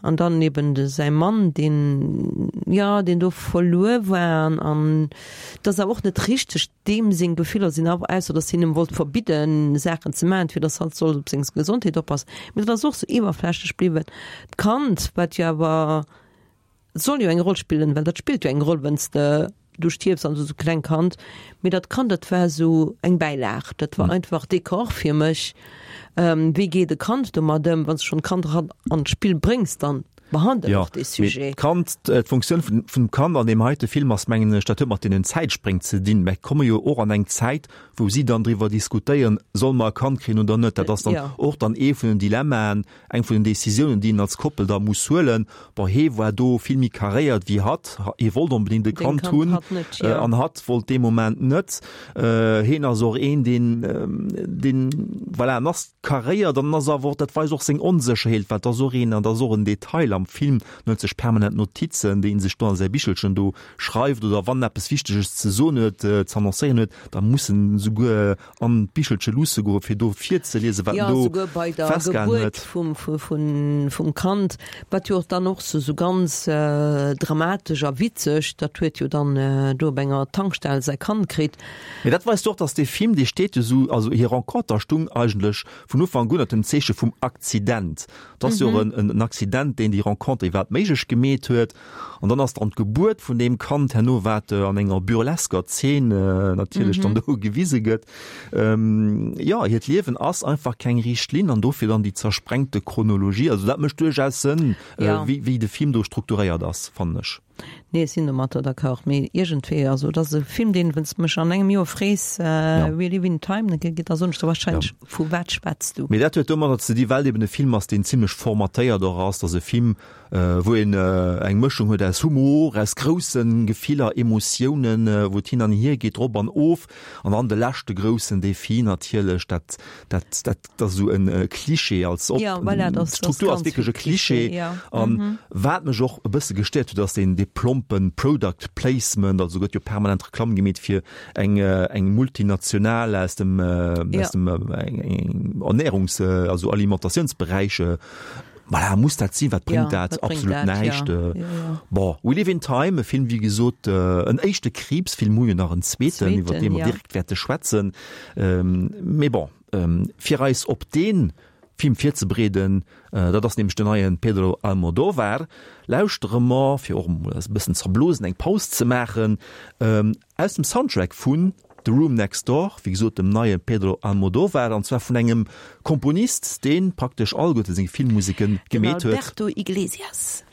An dann eben de säi Mann, deen, jo, deen do verluer war an, an et ass awer och net richteg, deem seng Gefiller sinn awer, ausser datt hien em wollt verbidden, Saachen ze maachen, fir datt hatt soll op seng Gesondheet oppassen. Mee dat ass och sou iwwerflächlech bliwwen. D'Kand, wat jo awer, soll jo eng Roll spillen, well dat spillt jo eng Roll, wann s de du stierfs an du hues e kleng Kand, mee dat Kand, dat war esou eng Bäilag, dat war einfach Dekor fir mech. Wéi geet e Kand domat ëm? Wann s de schonn d'Kand eran an d'Spill bréngs, dann behandel Jo, och dee mee Sujet. d'Kand, d'Funktioun vun vum Kand an deem heite Film ass, mengen ech, dat huet mat deenen Zäitspréng ze dinn. Mer komme jo och an eng Zäit, wou si dann driwwer diskutéieren, solle mer e Kand kréien oder net. Dat ass dann Jo. och dann ee vun den Dilemmaen, Eng vun den Decisiounen, déi een als Koppel da muss huelen. Bon, hee war do vill méi karéiert wéi hatt. Hie wollt onbedéngt e Kand hunn an hatt wollt dee Moment net. Hien ass och een, deen, deen, voilà, en ass karéiert an en ass awer och, dat weist och seng Onsécherheet, well et ass och een, an dat ass och en Detail am Film, en huet sech permanent Notizen, déi en sech do an säi Bichelchen do schreift oder wann en eppes Wichteges ze soen huet, ze annoncéieren huet, da muss en esouguer an d'Bichelche luusse goen, fir do virzeliesen, wat Ja, en do souguer bei der festgehalen Gebuert huet. vum, vun, vum Kand, wat jo och dann och sou, sou ganz dramatesch a witzeg, dat huet jo dann do op enger Tankstell säi Kand kritt. Mee dat weist och, dass dee Film, dee steet jo sou, also hir Renconter stung eigentlech vun Ufank un ënner dem Zeeche vum Akzident. Et ass jo och en, en Accident, deen déi Renconter iwwerhaapt méiglech gemeet huet. An dann ass dann d'Gebuert vun deem Kand herno, wat an enger burlesker Zeen natierlech dann do gewise gëtt. Jo, hiert Liewen ass einfach keng riicht Linn an dofir dann déi zersprengte Chronologie. Also dat mécht duerchaus Sënn, wéi wéi de Film do strukturéiert ass, fannen ech. Nee, ech sinn domatter d'accord, mee iergendwéi, also et ass e Film, deen, wann s de mech an engem Joer frees, We live in time, da soen ech der warscheinlech, Vu wat schwätz du? Mee dat huet domadder ze di well et eben e Film ass, deen zimlech formatéiert och ass, dass e Film, wou een eng Mëschung huet aus Humor, aus grousse Gefiller, Emotiounen, wou et hin an hier geet, rop an of. An dann de leschte groussen Defi natierlech, dat, dat, dat ass esou e Klischee als op, d'Struktur ass wierklech e Klischee. An wat mech och e bësse gestéiert huet, ass deen, dee plompe Product Placement, also gëtt jo permanent Reklamm gemeet fir eng, eng Multinational aus dem, aus dem Ernährungs-, also Alimentatiounsberäich, Voilà, muss dat sinn? Wat bréngt Ja, dat? wat bréngt Absolut dat? näischt. Ja, ja, ja. Bon, We Live in Time, e Film, wéi gesot, en éischte Kriibsfilm, hu jo nach en zweeten, iwwer dee Zweeten, mer ja. direkt wäerte schwätzen. Mee bon, fir eis op dee. Film virzebereeden, dat ass nämlech den neie Pedro Almodovar, lauschtere mer, fir och emol eis e bëssen zerblosen, eng Paus ze maachen, aus dem Soundtrack vun The Room Next Door, wéi gesot dem neie Pedro Almodovar, an zwar vun engem Komponist, dee praktesch alleguerte seng Filmmuseke gemeet huet. Den Alberto Iglesias.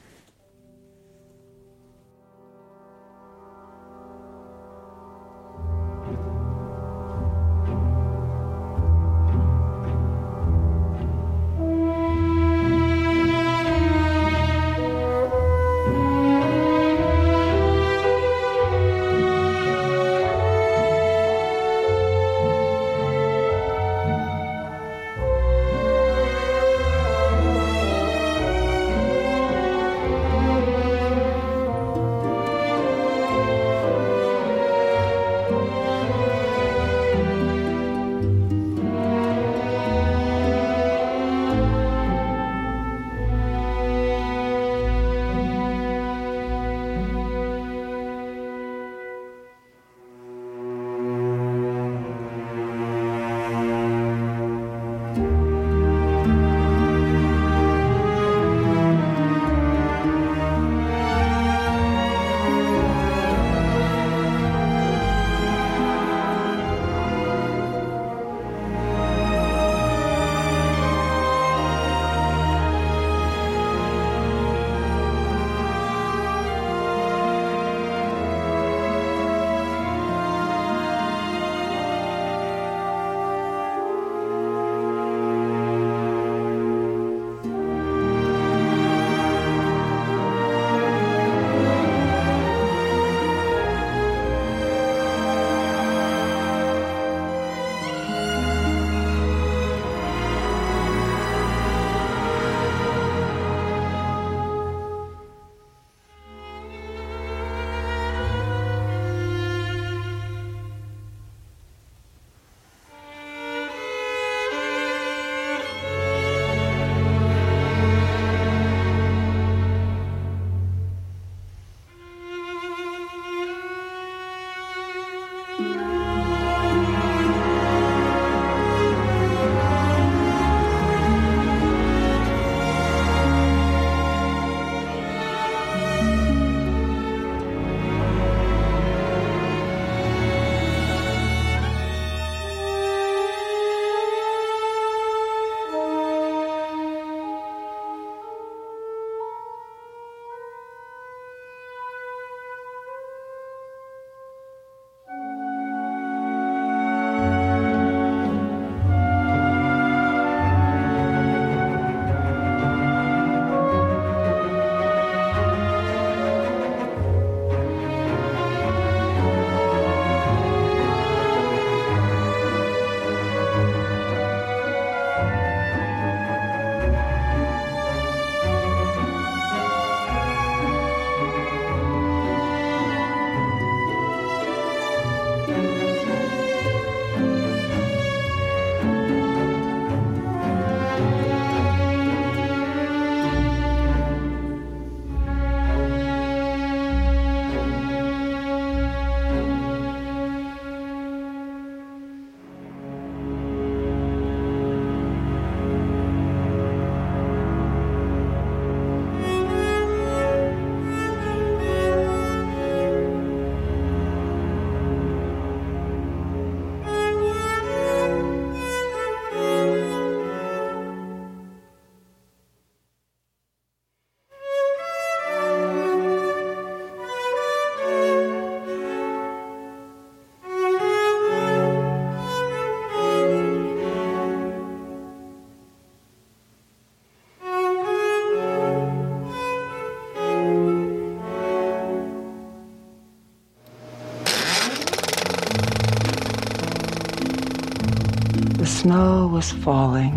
The snow was falling,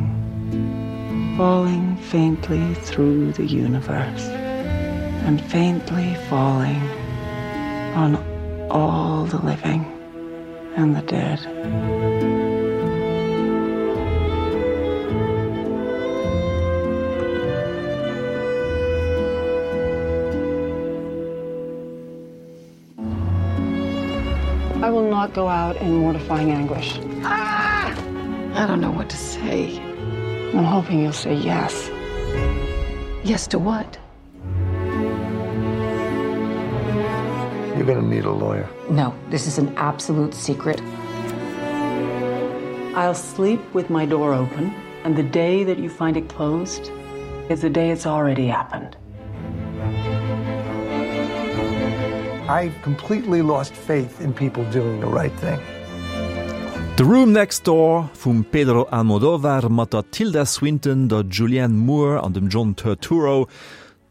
falling faintly through the universe, and faintly falling on all the living and the dead. I will not go out in mortifying anguish. Ah! I don't know what to say. I'm hoping you'll say yes. Yes to what? You're gonna need a lawyer. No, this is an absolute secret. I'll sleep with my door open, and the day that you find it closed is the day it's already happened. I've completely lost faith in people doing the right thing. The Room Next Door vum Pedro Almodovar mat der Tilda Swinton, der Julianne Moore an dem John Turturro.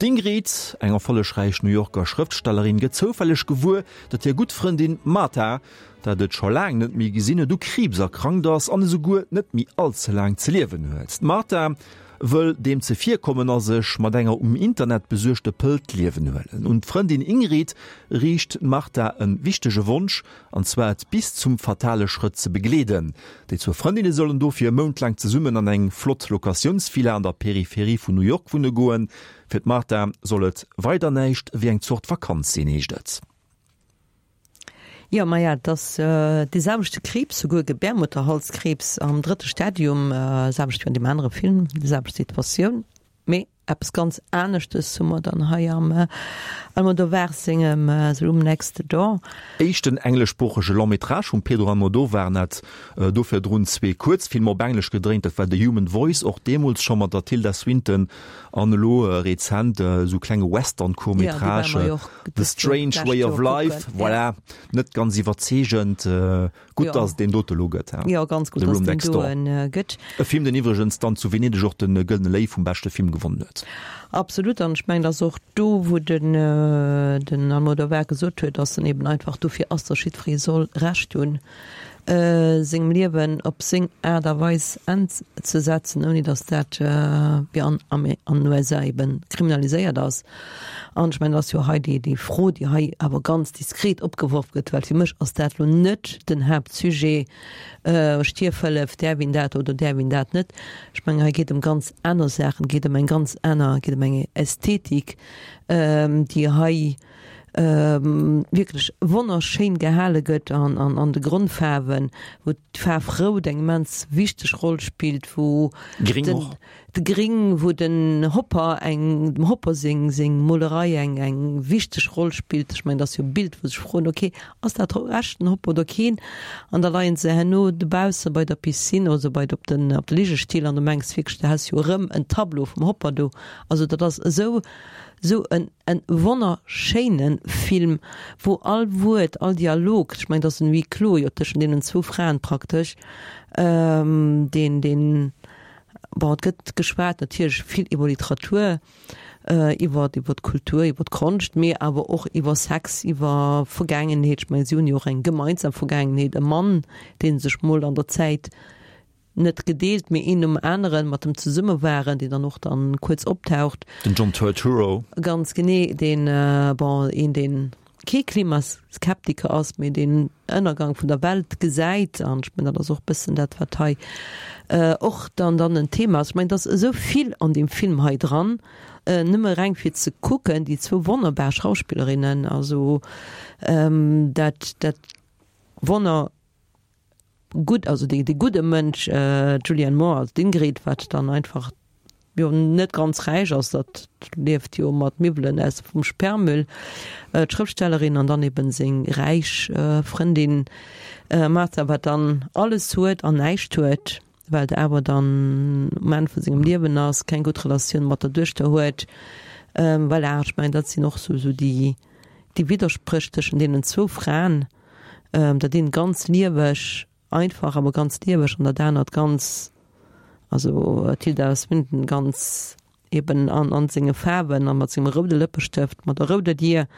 D'Ingrid, eng erfollegräich New Yorker Schrëftstellerin, gëtt zoufälleg gewuer, datt hir gutt Frëndin Martha, dat et scho laang net méi gesinn huet, u Kriibs erkrankt ass an esouguer net méi all ze laang ze liewen huet. D'Martha wëll deem zevirkommen a sech mat enger um Internet besuergte Pëll d'Liewen huelen. Un d'Frëndin Ingrid riicht d'Martha e wichtege Wonsch, an zwar et bis zum fatale Schrëtt ze begleeden. Déi zwou Frëndinne sollen dofir e Mount laang zesummen an eng flott Locatiounsvilla an der Peripherie vun New York wunne goen. Fir d'Martha soll et weider näischt wéi eng Zort Vakanz sinn, heescht et. Jo, maja, et ass dee selwechte Kriibs, souguer Gebärmutterhalskriibs am drëtte Stadium, selwecht wéi an deem anere Film, déi selwecht Situatioun, mee eppes ganz aneschtes hu mer dann hei am Almodovar sengem The Room Next Door. Éischten engleschsproochege Long-métrage vum Pedro Almodovar, en hat do virdrun zwee Kuerzfilmer op Englesch gedréint, dat war The Human Voice, och deemools scho mat der Tilda Swinton, an elo rezent esou klenge Western-Court-métrage. The Strange Way of Life, voilà, net ganz iwwerzeegend. Gutt, dass et deen dote lo gëtt, he? Jo, ganz gutt, dass et deen doen gëtt. E Film, deen iwwregens dann zu Venedeg och de Gëllene Léiw vum beschte Film gewonnen huet. Absolut, an ech mengen, dass och do, wou den den Almodovar gesot huet, dass en eben einfach dofir ass, dass jiddweree soll Recht hunn, sengem Liewen op seng Aart a Weis Enn ze setzen, ouni datt dat wéi an an den USA eben kriminaliséiert ass. An ech mengen, dat ass jo hei déi déi Fro, déi hei awer ganz diskret opgeworf gëtt, well fir mech ass dat elo net den Haaptsujet, Stierfhëllef, däerf een dat oder däerf een dat net. Ech mengen, hei geet ëm ganz aner Saachen, geet ëm eng ganz aner, geet ëm eng Ästhetik, déi hei, wierklech wonnerschéin gehale gëtt an an de Grondfaarwen, wou d'Faarf rout eng immens wichteg Roll spillt, wou Gring och. De Gring, wou den Hopper eng, dem Hopper seng seng Molerei eng eng wichteg Roll spillt. Ech mengen, dat ass jo e Bild, wou sech froen, ok, ass dat echt den Hopper oder keen? An da leien se herno dobausse bei der Piscine, also bei op den op de Ligestill an du mengs wierklech, du häss jo erëm en Tableau vum Hopper do. Also dat ass esou esou en En wonnerschéinen Film, wou all Wuert, all Dialog, ech mengen et ass en Huis clos jo tëschent deenen zwou Fraen praktesch, deen, deen, bon et gëtt geschwat natierlech vill iwwer Literatur, iwwer, iwwer d'Kultur, iwwer d'Konscht, mee awer och iwwer Sex, iwwer Vergaangenheet, ech mengen si hunn jo och eng gemeinsam Vergaangenheet, e Mann dee sech mol an der Zäit net gedeelt, mee een nom aneren mat em zesumme waren, deen dann och dann kuerz optaucht. Den John Turturro. Ganz genee, deen, bon, een deen kee Klimaskeptiker ass, mee deen Ënnergang vun der Welt gesäit. An ech mengen, dat ass och bëssen dat, wat hei och dann dann en Thema ass. Ech mengen, et ass esou vill an deem Film hei dran, nëmme reng fir ze kucken, déi zwou wonnerbar Schauspillerinnen, also dat, dat wonner. gutt, also dee gudde Mënsch, d'Julianne Moore als d'Ingrid, wat dann einfach jo net ganz räich ass, dat lieft jo mat Miwwelen aus vum Sperrmüll, d'Schrëftstellerin an dann eben seng räich Frëndin Martha, wat dann alles huet an näischt huet, well et awer dann um Enn vu sengem Liewen ass, keng gutt Relatioun mat der Duechter huet. Voilà, ech mengen dat sinn och sou déi Widderspréch tëschent deenen zwou Fraen. Dat eent ganz lieweg, einfach, awer ganz lieweg an dat anert ganz, also d'Tilda Swinton ganz eben an an senge Faarwen a mat sengem roude Lëppestëft, mat der rouder Dier.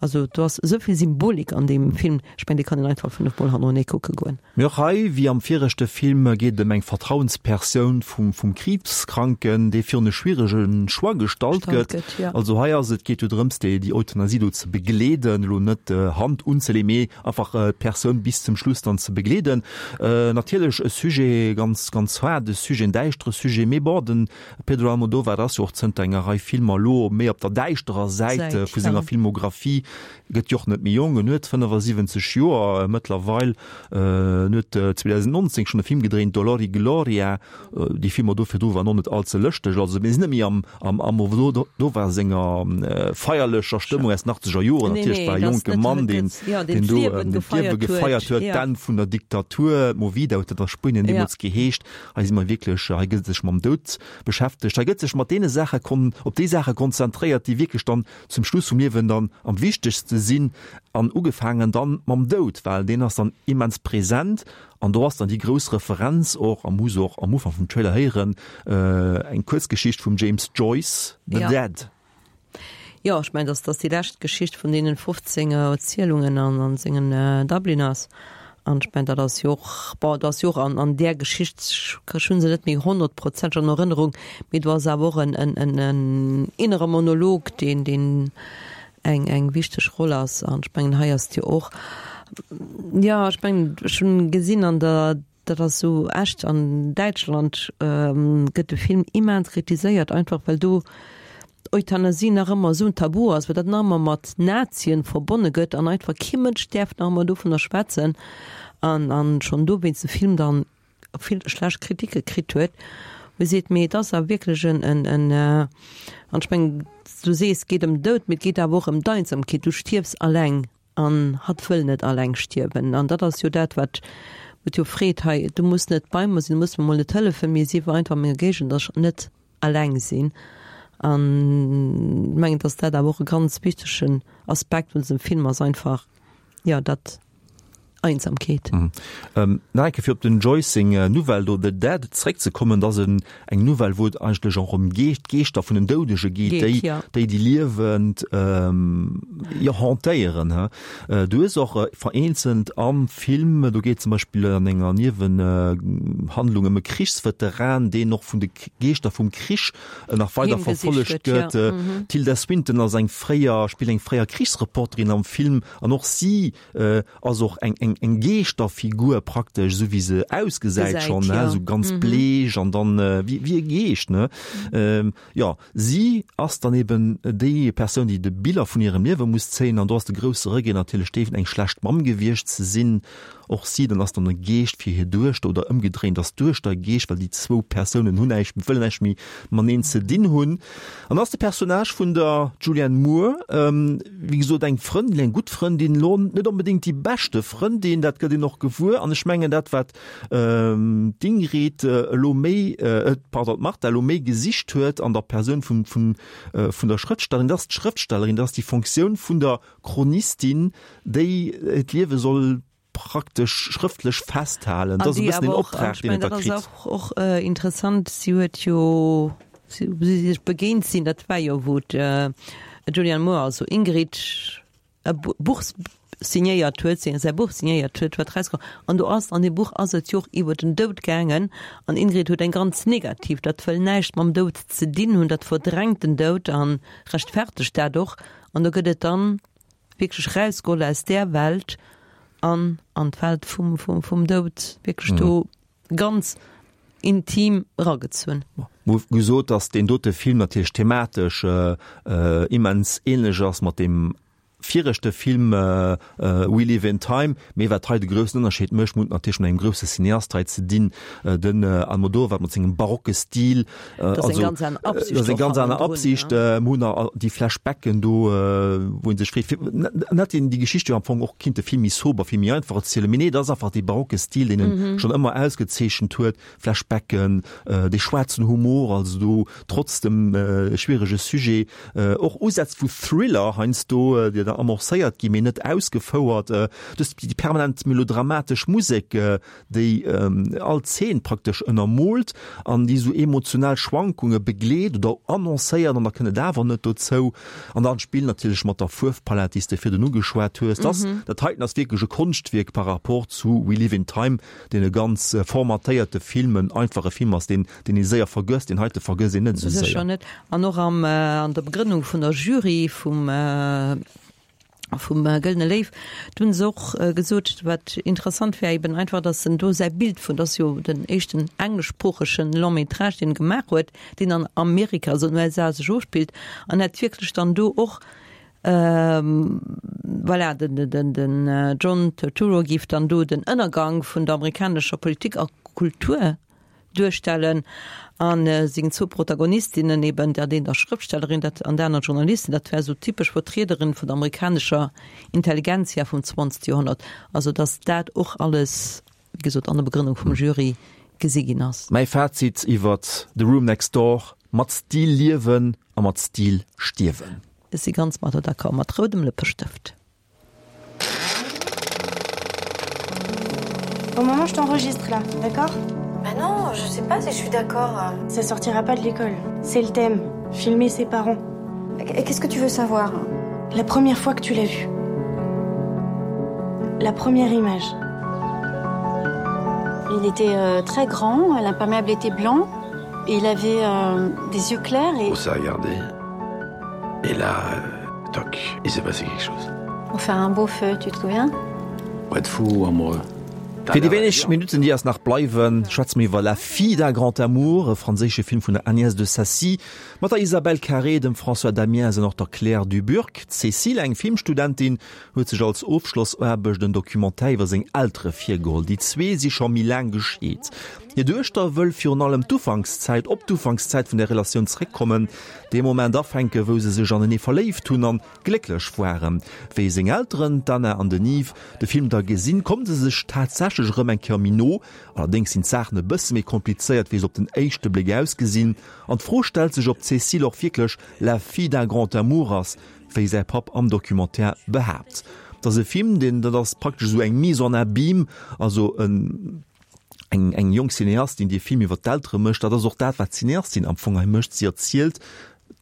Also do ass esou vill Symbolik an deem Film, ech mengen dee kann een einfach 5 mol hannerenee kucke goen. Mee och hei, wéi am viregte Film, geet et ëm eng Vertrauenspersoun vum vum Kriibskranken, dee virun e schwierege Choix gestallt gëtt. Also hei ass et, geet jo drëms, déi déi Euthanasie do ze begleeden, elo net Hand unzeleeën, mee einfach d'Persoun bis zum Schluss dann ze begleeden. Natierlech e Sujet, ganz ganz haarde Sujet, en däischtere Sujet, mee bon, den Pedro Almodovar ass jo och zënter enger Rei Filmer elo méi op der däischterer Säit vu senger Filmographie. Gëtt jo och net méi jonk, en huet 75 Joer mëttlerweil. En huet 2019 schonn e Film gedréint, Dolor y Gloria. Déi Filmer do virdru waren och net all ze lëschteg. Also mir sinn net méi am am Almodovar senger feierlecher Stëmmung aus den achtzeger Joren. Natierlech war e jonke Mann, deen deen do d'Liewe gefeiert huet, d'Enn vun der Diktatur, Movida huet dat a Spuenien deemools geheescht. Hei si mer wierklech, hei gëtt sech mam Doud beschäftegt, hei gëtt sech mat deene Saache kon op déi Saache konzentréiert, déi wierklech dann zum Schluss vum Liewen dann am wichtegste sinn an ugefaangen dann mam Doud, well deen ass dann immens präsent an do ass dann déi grouss Referenz och, a muss och am Ufank vum Trailer héieren, eng Kuerzgeschicht vum James Joyce, The Dead. Jo, ech mengen, dass dass déi lescht Geschicht vun deenen 15 Erzielungen an an sengen Dubliners. An ech mengen, dat ass jo och, bon, dat ass jo och an an där Geschicht, ech hu se net méi honnertprozenteg an Erënnerung, mee do ass awer och en en en en innere Monolog, deen deen eng eng wichteg Roll ass. An ech mengen, hei ass et jo och, jo, ech mengen, ech hunn gesinn an der Dat ass sou echt. An Däitschland gëtt de Film immens kritiséiert, einfach well do d'Euthanasie nach ëmmer esou en Tabu ass, well dat nach ëmmer mat Nazien verbonne gëtt an einfach kee Mënsch däerf nach ëmmer dovunner schwätzen. An an schonn dowéinst de Film dann vill schlecht Kritike kritt huet, wou ee seet, mee et ass awer wierklech en en en an ech mengen, du sees, et geet ëm Doud, mee et geet awer och ëm d'Einsamkeet, du stierfs alleng. An hatt wëll net alleng stierwen. An dat ass jo dat, wat et jo freet hei, Du muss net bei mer sinn, du muss mer mol net hëllefen, mee sief einfach a menger Géigend, dass ech net alleng sinn. An ech mengen, dass dat awer och e ganz wichtegen Aspekt vun dësem Film ass, einfach, jo, dat Einsamkeet. Nach eng Kéier fir op den Joyce seng Novell do The Dead zréckzekommen, dat ass eng Novell, wou et eigentlech och ëm d'Geeschter vun den Doudege geet, déi déi déi Liewend jo hantéieren. Du hues och vereenzelt am Film, do geet zum Beispill an enger Niewenhandlung ëm e Krichsveteran, deen och vun de Geeschter vum Krich nach weider verfollegt gëtt. D'Tilda Swinton ass eng fréier, spillt eng fréier Krichsreporterin am Film an och si ass och eng eng eng Geeschterfigur praktesch, esou wéi se ausgesäit schonn, ne, esou ganz bleech an dann wéi wéi e Geescht, ne. Jo, si ass dann eben déi Persoun, déi de Biller vun hirem Liewe muss zéien an do ass de grousse Regret natierlech dee, eng schlecht Mamm gewiescht ze sinn. Och si dann ass dann e Geescht fir hir Duechter oder ëmgedréint ass d'Duechter e Geescht, well déi zwou Persounen hunn näischt, wëllen näischt méi mateneen ze dinn hunn. An ass de Personnage vun der Julianne Moore, wéi gesot eng Frëndin, eng gutt Frëndin, elo net onbedéngt déi beschte Frëndin, dat gëtt een och gewuer. An ech mengen dat wat d'Ingrid elo méi, pardon, d'Martha elo méi gesicht huet an der Persoun vun vun vun der Schrëftstellerin, dat ass d'Schrëftstellerin, dat ass déi Fonctioun vun der Chronistin, déi d'Liewe soll praktesch schrëftlech festhalen. Dat ass e bëssen den Optrag, deen et da kritt. Dat ass och interessant, si huet jo, wou si sech begéint sinn, dat war jo wou d'Julianne Moore, also Ingrid, e Buch signéiert huet, säi Buch signéiert huet, wat erauskoum. An do ass, an deem Buch ass et jo och iwwer den Doud gaangen. An Ingrid huet eng ganz negativ, dat wëll näischt mam Doud ze dinn hunn, dat verdrängt den Doud a rechtfertegt dat och. An do gëtt et dann wierklech rausgeholl aus där Welt an an d'Welt vum, vum, vum Doud, wierklech do ganz intim eragezunn. Mer hu gesot, datt deen dote Film natierlech thematesch immens ähnlech ass mat deem viregte Film We Live in Time, mee wat hei de groussen Ënnerscheed mécht, mer hunn et natierlech mat engem grousse Cineast hei ze dinn, den Almodovar mat sengem barocke Stil, Dat ass eng ganz aner Absicht. Dat ass eng ganz aner Absicht. Mir hunn nach déi Flashbacken do, wou ee sech freet, fir net een déi Geschicht jo am Fong och kinnte vill méi sober, vill méi einfach erzielen. Mee nee, dat ass einfach dee barocke Stil, deen en schonn ëmmer ausgezeechent huet. Flashbacken, dee schwaarzen Humor, also do trotz dem schwierege Sujet och Usätz vu Thriller heiansdo, déi da amorcéiert ginn, mee net ausgefouert. Du hues déi permanent melodramatesch Musek, déi all Zeen praktesch ënnermoolt an déi esou emotional Schwankunge begleet oder annoncéiert an da kënnt et awer net dozou. An dann d'Spill natierlech mat der Fuerfpalett, déi s de virdrun ugeschwat hues. Dass, dat heiten ass wierklech e Konschtwierk par rapport zu We Live in Time, deen e ganz formatéierte Film, en einfache Film ass, deen, deen ee séier vergësst. Deen heite vergësst een net esou séier. Sécher net. An och am, an der Begrënnung vun der Jury vum, vum Gëllene Léiw, do hunn se och gesot, wat interessant wär eben einfach, datt en do säi Bild vun, dat ass jo den éischten engleschsproochege Long métrage, deen e gemaach huet, deen an Amerika, also an den USA sech ofspillt, an hätt wierklech dann do och. Voilà, den John Turturro géif dann do den Ënnergang vun der amerikanescher Politik a Kultur duerstellen a seng zwou Protagonistinnen eben, dat eent ass Schrëftstellerin, dat an dat anert Journalistin, dat wär esou typesch Vertriederin vun der amerikanescher Intelligentsia vum 20. Joerhonnert. Also datt dat och alles, wéi gesot, an der Begrënnung vum Jury gesi ginn ass. Mäi Fazit iwwert The Room Next Door, Mat Stil liewen a mat Stil stierwen. Ech si ganz mat der d'accord, mat roudem Lëppestëft. Bon maman, je t'enregistre là, d'accord Bah non, je sais pas si je suis d'accord. Ça sortira pas de l'école. C'est le thème, filmer ses parents. Et qu'est-ce que tu veux savoir La première fois que tu l'as vu. La première image. Il était euh, très grand, l'imperméable était blanc et il avait euh, des yeux clairs et On s'est regardé. Et là, euh, toc, il s'est passé quelque chose. On fait un beau feu, tu te souviens Pour être fou ou amoureux. Fir déi wéineg Minutten, déi eis nach bleiwen, schwätze mir iwwer La fille d'un grand amour, e franséische Film vun der Agnès de Sacy, mat der Isabelle Carré, dem François Damiens an och der Claire Duburcq. D'Cécile, eng Filmstudentin, huet sech als Ofschlossaarbecht en Documentaire iwwer seng Eltere virgeholl. Déi zwee si scho méi laang gescheet. Hir Duechter wëll virun allem d'Ufankszäit, op d'Ufankszäit vun der Relatioun zréckkommen, dee Moment afänken, wou se sech anenee verléift hunn an glécklech waren. Wéi seng Elteren, d'Anna an den Yves, de Film da gesinn, komme se sech tatsächlech erëm eng Kéier méi no. Allerdéngs sinn d'Saachen e bësse méi komplizéiert, wéi se op den éischte Bléck ausgesinn. An d'Fro stellt sech, ob d'Cécile och wierklech la fille d'un grand amour ass, wéi säi Papp am Documentaire behaapt. Et ass e Film, deen, dat ass praktesch esou eng Mise en abîme, also en, eng eng jonk Cineastin, déi e Film iwwer d'Eltere mécht. Dat ass och dat, wat d'Cineastin am Fong hei mécht. Si erzielt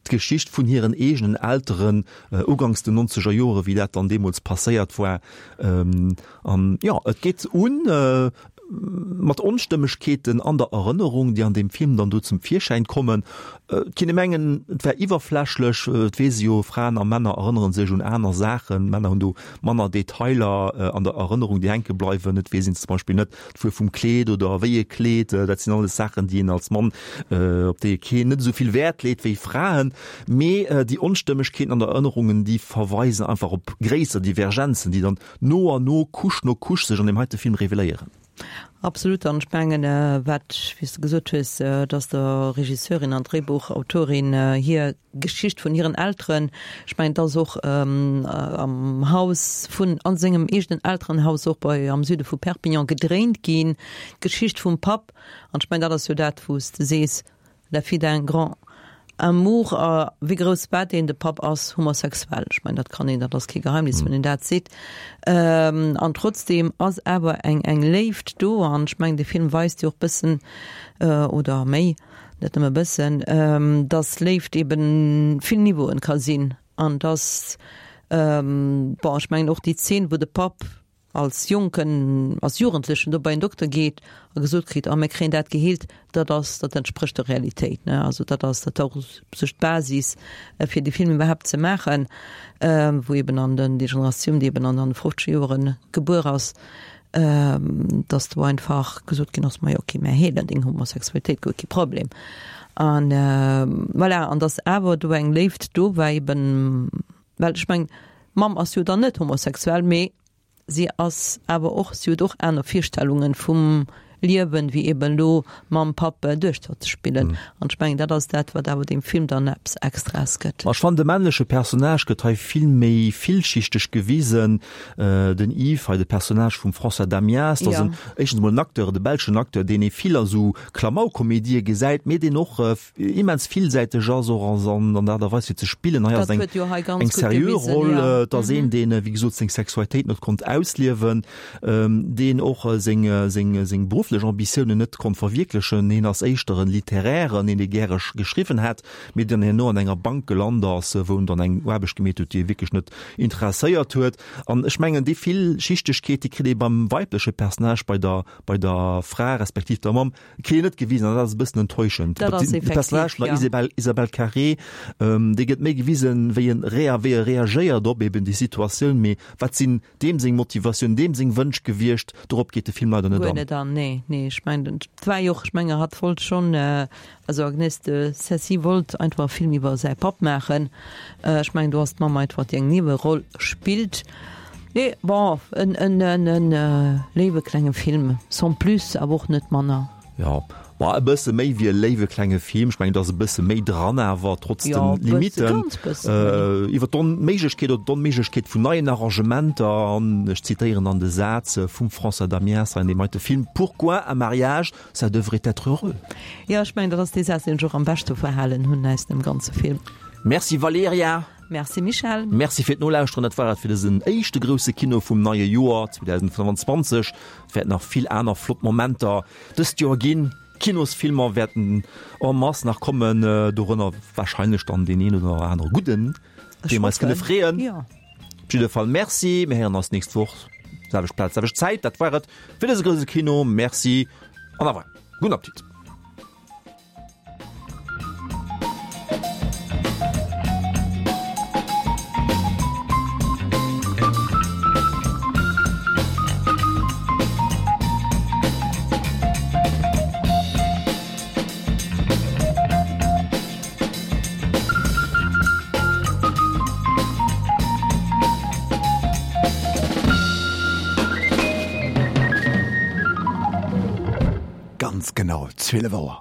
d'Geschicht vun hiren eegenen Elteren uganks den nonzeger Jore, wéi dat dann deemools passéiert war. An jo, et geet un mat Onstëmmegkeeten an der Erënnerung, déi an deem Film dann do zum Virschäin kommen. Et kinne mengen, et wär iwwerflächlech, et weess ee jo, Fraen a Männer erënnere sech un aner Saachen, Männer hunn do manner Detailer an der Erënnerung, déi hänke bleiwen. Et weess een zum Beispill net d'Fuerf vum Kleed oder wéi ee Kleed. Dat sinn alles Saachen, déi een als Mann, op déi ee keen, net esou vill Wäert leet wéi Fraen. Mee déi Onstëmmegkeeten an der Erënnerungen, déi verweisen einfach op gréisser Divergenzen, déi dann no an no, Couche no Couche sech an deem heite Film reveléieren. Absolut. An ech mengen, wat, wéi s de gesot hues, dass der Regisseurin an Dréibuchautorin hir Geschicht vun hiren Elteren, ech mengen, et ass och am Haus vun, a sengem eegenen Elterenhaus och bei, am Süde vu Perpignan gedréint ginn, d'Geschicht vum Papp. An ech mengen, dat ass jo dat, wou s de sees, La fille d'un grand amour. A wéi grouss war deen? De Papp ass homosexuell. Ech mengen, dat kann een, dat ass kee Geheimnis, wann een dat seet. An trotzdeem ass awer eng, eng Léift do. An ech mengen, de Film weist jo och bëssen, oder méi, net nëmme bëssen, dass Léift eben vill Niveauen ka sinn. An dass, bon, ech mengen och déi Zeen, wou de Papp als Jonken, als Jugendlechen do bei en Dokter geet a gesot kritt, ah mir kréien dat geheelt, dat ass, dat entsprécht der Realitéit, ne. Also dat ass, dat war och sech d'Basis fir dee Film iwwerhaapt ze maachen, wou eben an den, déi Generatioun, déi eben an an de fofzeger Joere gebuer ass, dass do einfach gesot ginn ass, majo okay, mir heelen deng Homosexualitéit, guer kee Problem. An voilà, an dass awer do eng Léift do war eben, well ech mengen, D'Mamm ass jo dann net homosexuell, mee si ass awer och, si huet och aner Virstellungen vum Liewen, wéi eben elo Mamm, Papp, Duechter ze spillen. An ech mengen, dat ass dat, wat awer deem Film dann eppes Extraes gëtt. Ma ech fannen, de männleche Personnage gëtt hei vill méi villschichteg gewisen. Den Yves, hei de Personnage vum François Damiens, dat ass en, éischtens emol en Acteur, de belschen Acteur, deen ee vill a sou Klamaukkomedië gesäit, mee deen och immens villsäiteg ass och an an der Aart a Weis fir ze spillen. Hei ass eng eng seriö Roll, et ass een deen wéi gesot seng Sexualitéit net konnt ausliewen, deen och seng seng seng berufflech Ambitiounen net konnt verwierklechen. Hien ass éischter en Littérären, een dee gäre geschriwwen hätt, mee deen herno an enger Bank gelant ass, wou en dann eng Aarbecht gemeet huet, déi e wierklech net interesséiert huet. An ech mengen déi Villschichtegkeet, déi kritt ee beim weibleche Personnage, bei der bei der Fra respektiv der Mamm, Kritt een net gewisen an dat ass e bëssen enttäuschend. Dat ass De Personnage effektiv, vun der ja. Isabelle, Isabelle Carré, ähm, dee gëtt méi gewisen, wéi en rea, wéi e reagéiert op eben déi Situatioun, mee wat sinn deem seng Motivatioun, deem seng Wënsch gewiescht, dorop geet de Film leider net Guer an. net an, nee. Nee, nee, ech mengen, et war jo och, ech menge hatt wollt schonn, also Agnès de Sacy wollt einfach e Film iwwer säi Papp maachen. Ech mengen, do ass d'Mamm einfach déi eng Nieweroll spillt. Nee, bon, en, en, en, en léiwe klenge Film, sans plus, awer och net manner. Jo, ma e bësse méi wéi e léiwe klenge Film. Ech mengen, do ass e bësse méi dran awer, trotz de Limitten. Iwwer d'Onméiglechkeet oder d'Onméiglechkeet vun neien Arrangementer, an ech zitéieren dann de Saz vum François Damiens hei an deem heite Film, Pourquoi un mariage, ça devrait être heureux. Jo, ech mengen, dat ass dee Saz, deen ech och am beschte verhalen hunn aus dem ganze Film. Merci Valerija. Merci Michèle. Merci fir d'Nolauschteren. Dat war et fir dësen éischte grousse Kino vum neie Joer 2025. Et wäert nach vill aner flott Momenter dëst Joer ginn. Kinosfilmer wäerten en masse nach kommen, dorënner warscheinlech dann deen een oder anere gudden, dee mer eis kënne freeën. Op jidde Fall Merci, mir héieren eis nächst Woch, selwecht Plaz, selwecht Zäit. Dat war et fir dëse grousse Kino. Merci an au revoir. Gudden Appetit. Ganz genau 12 Auer.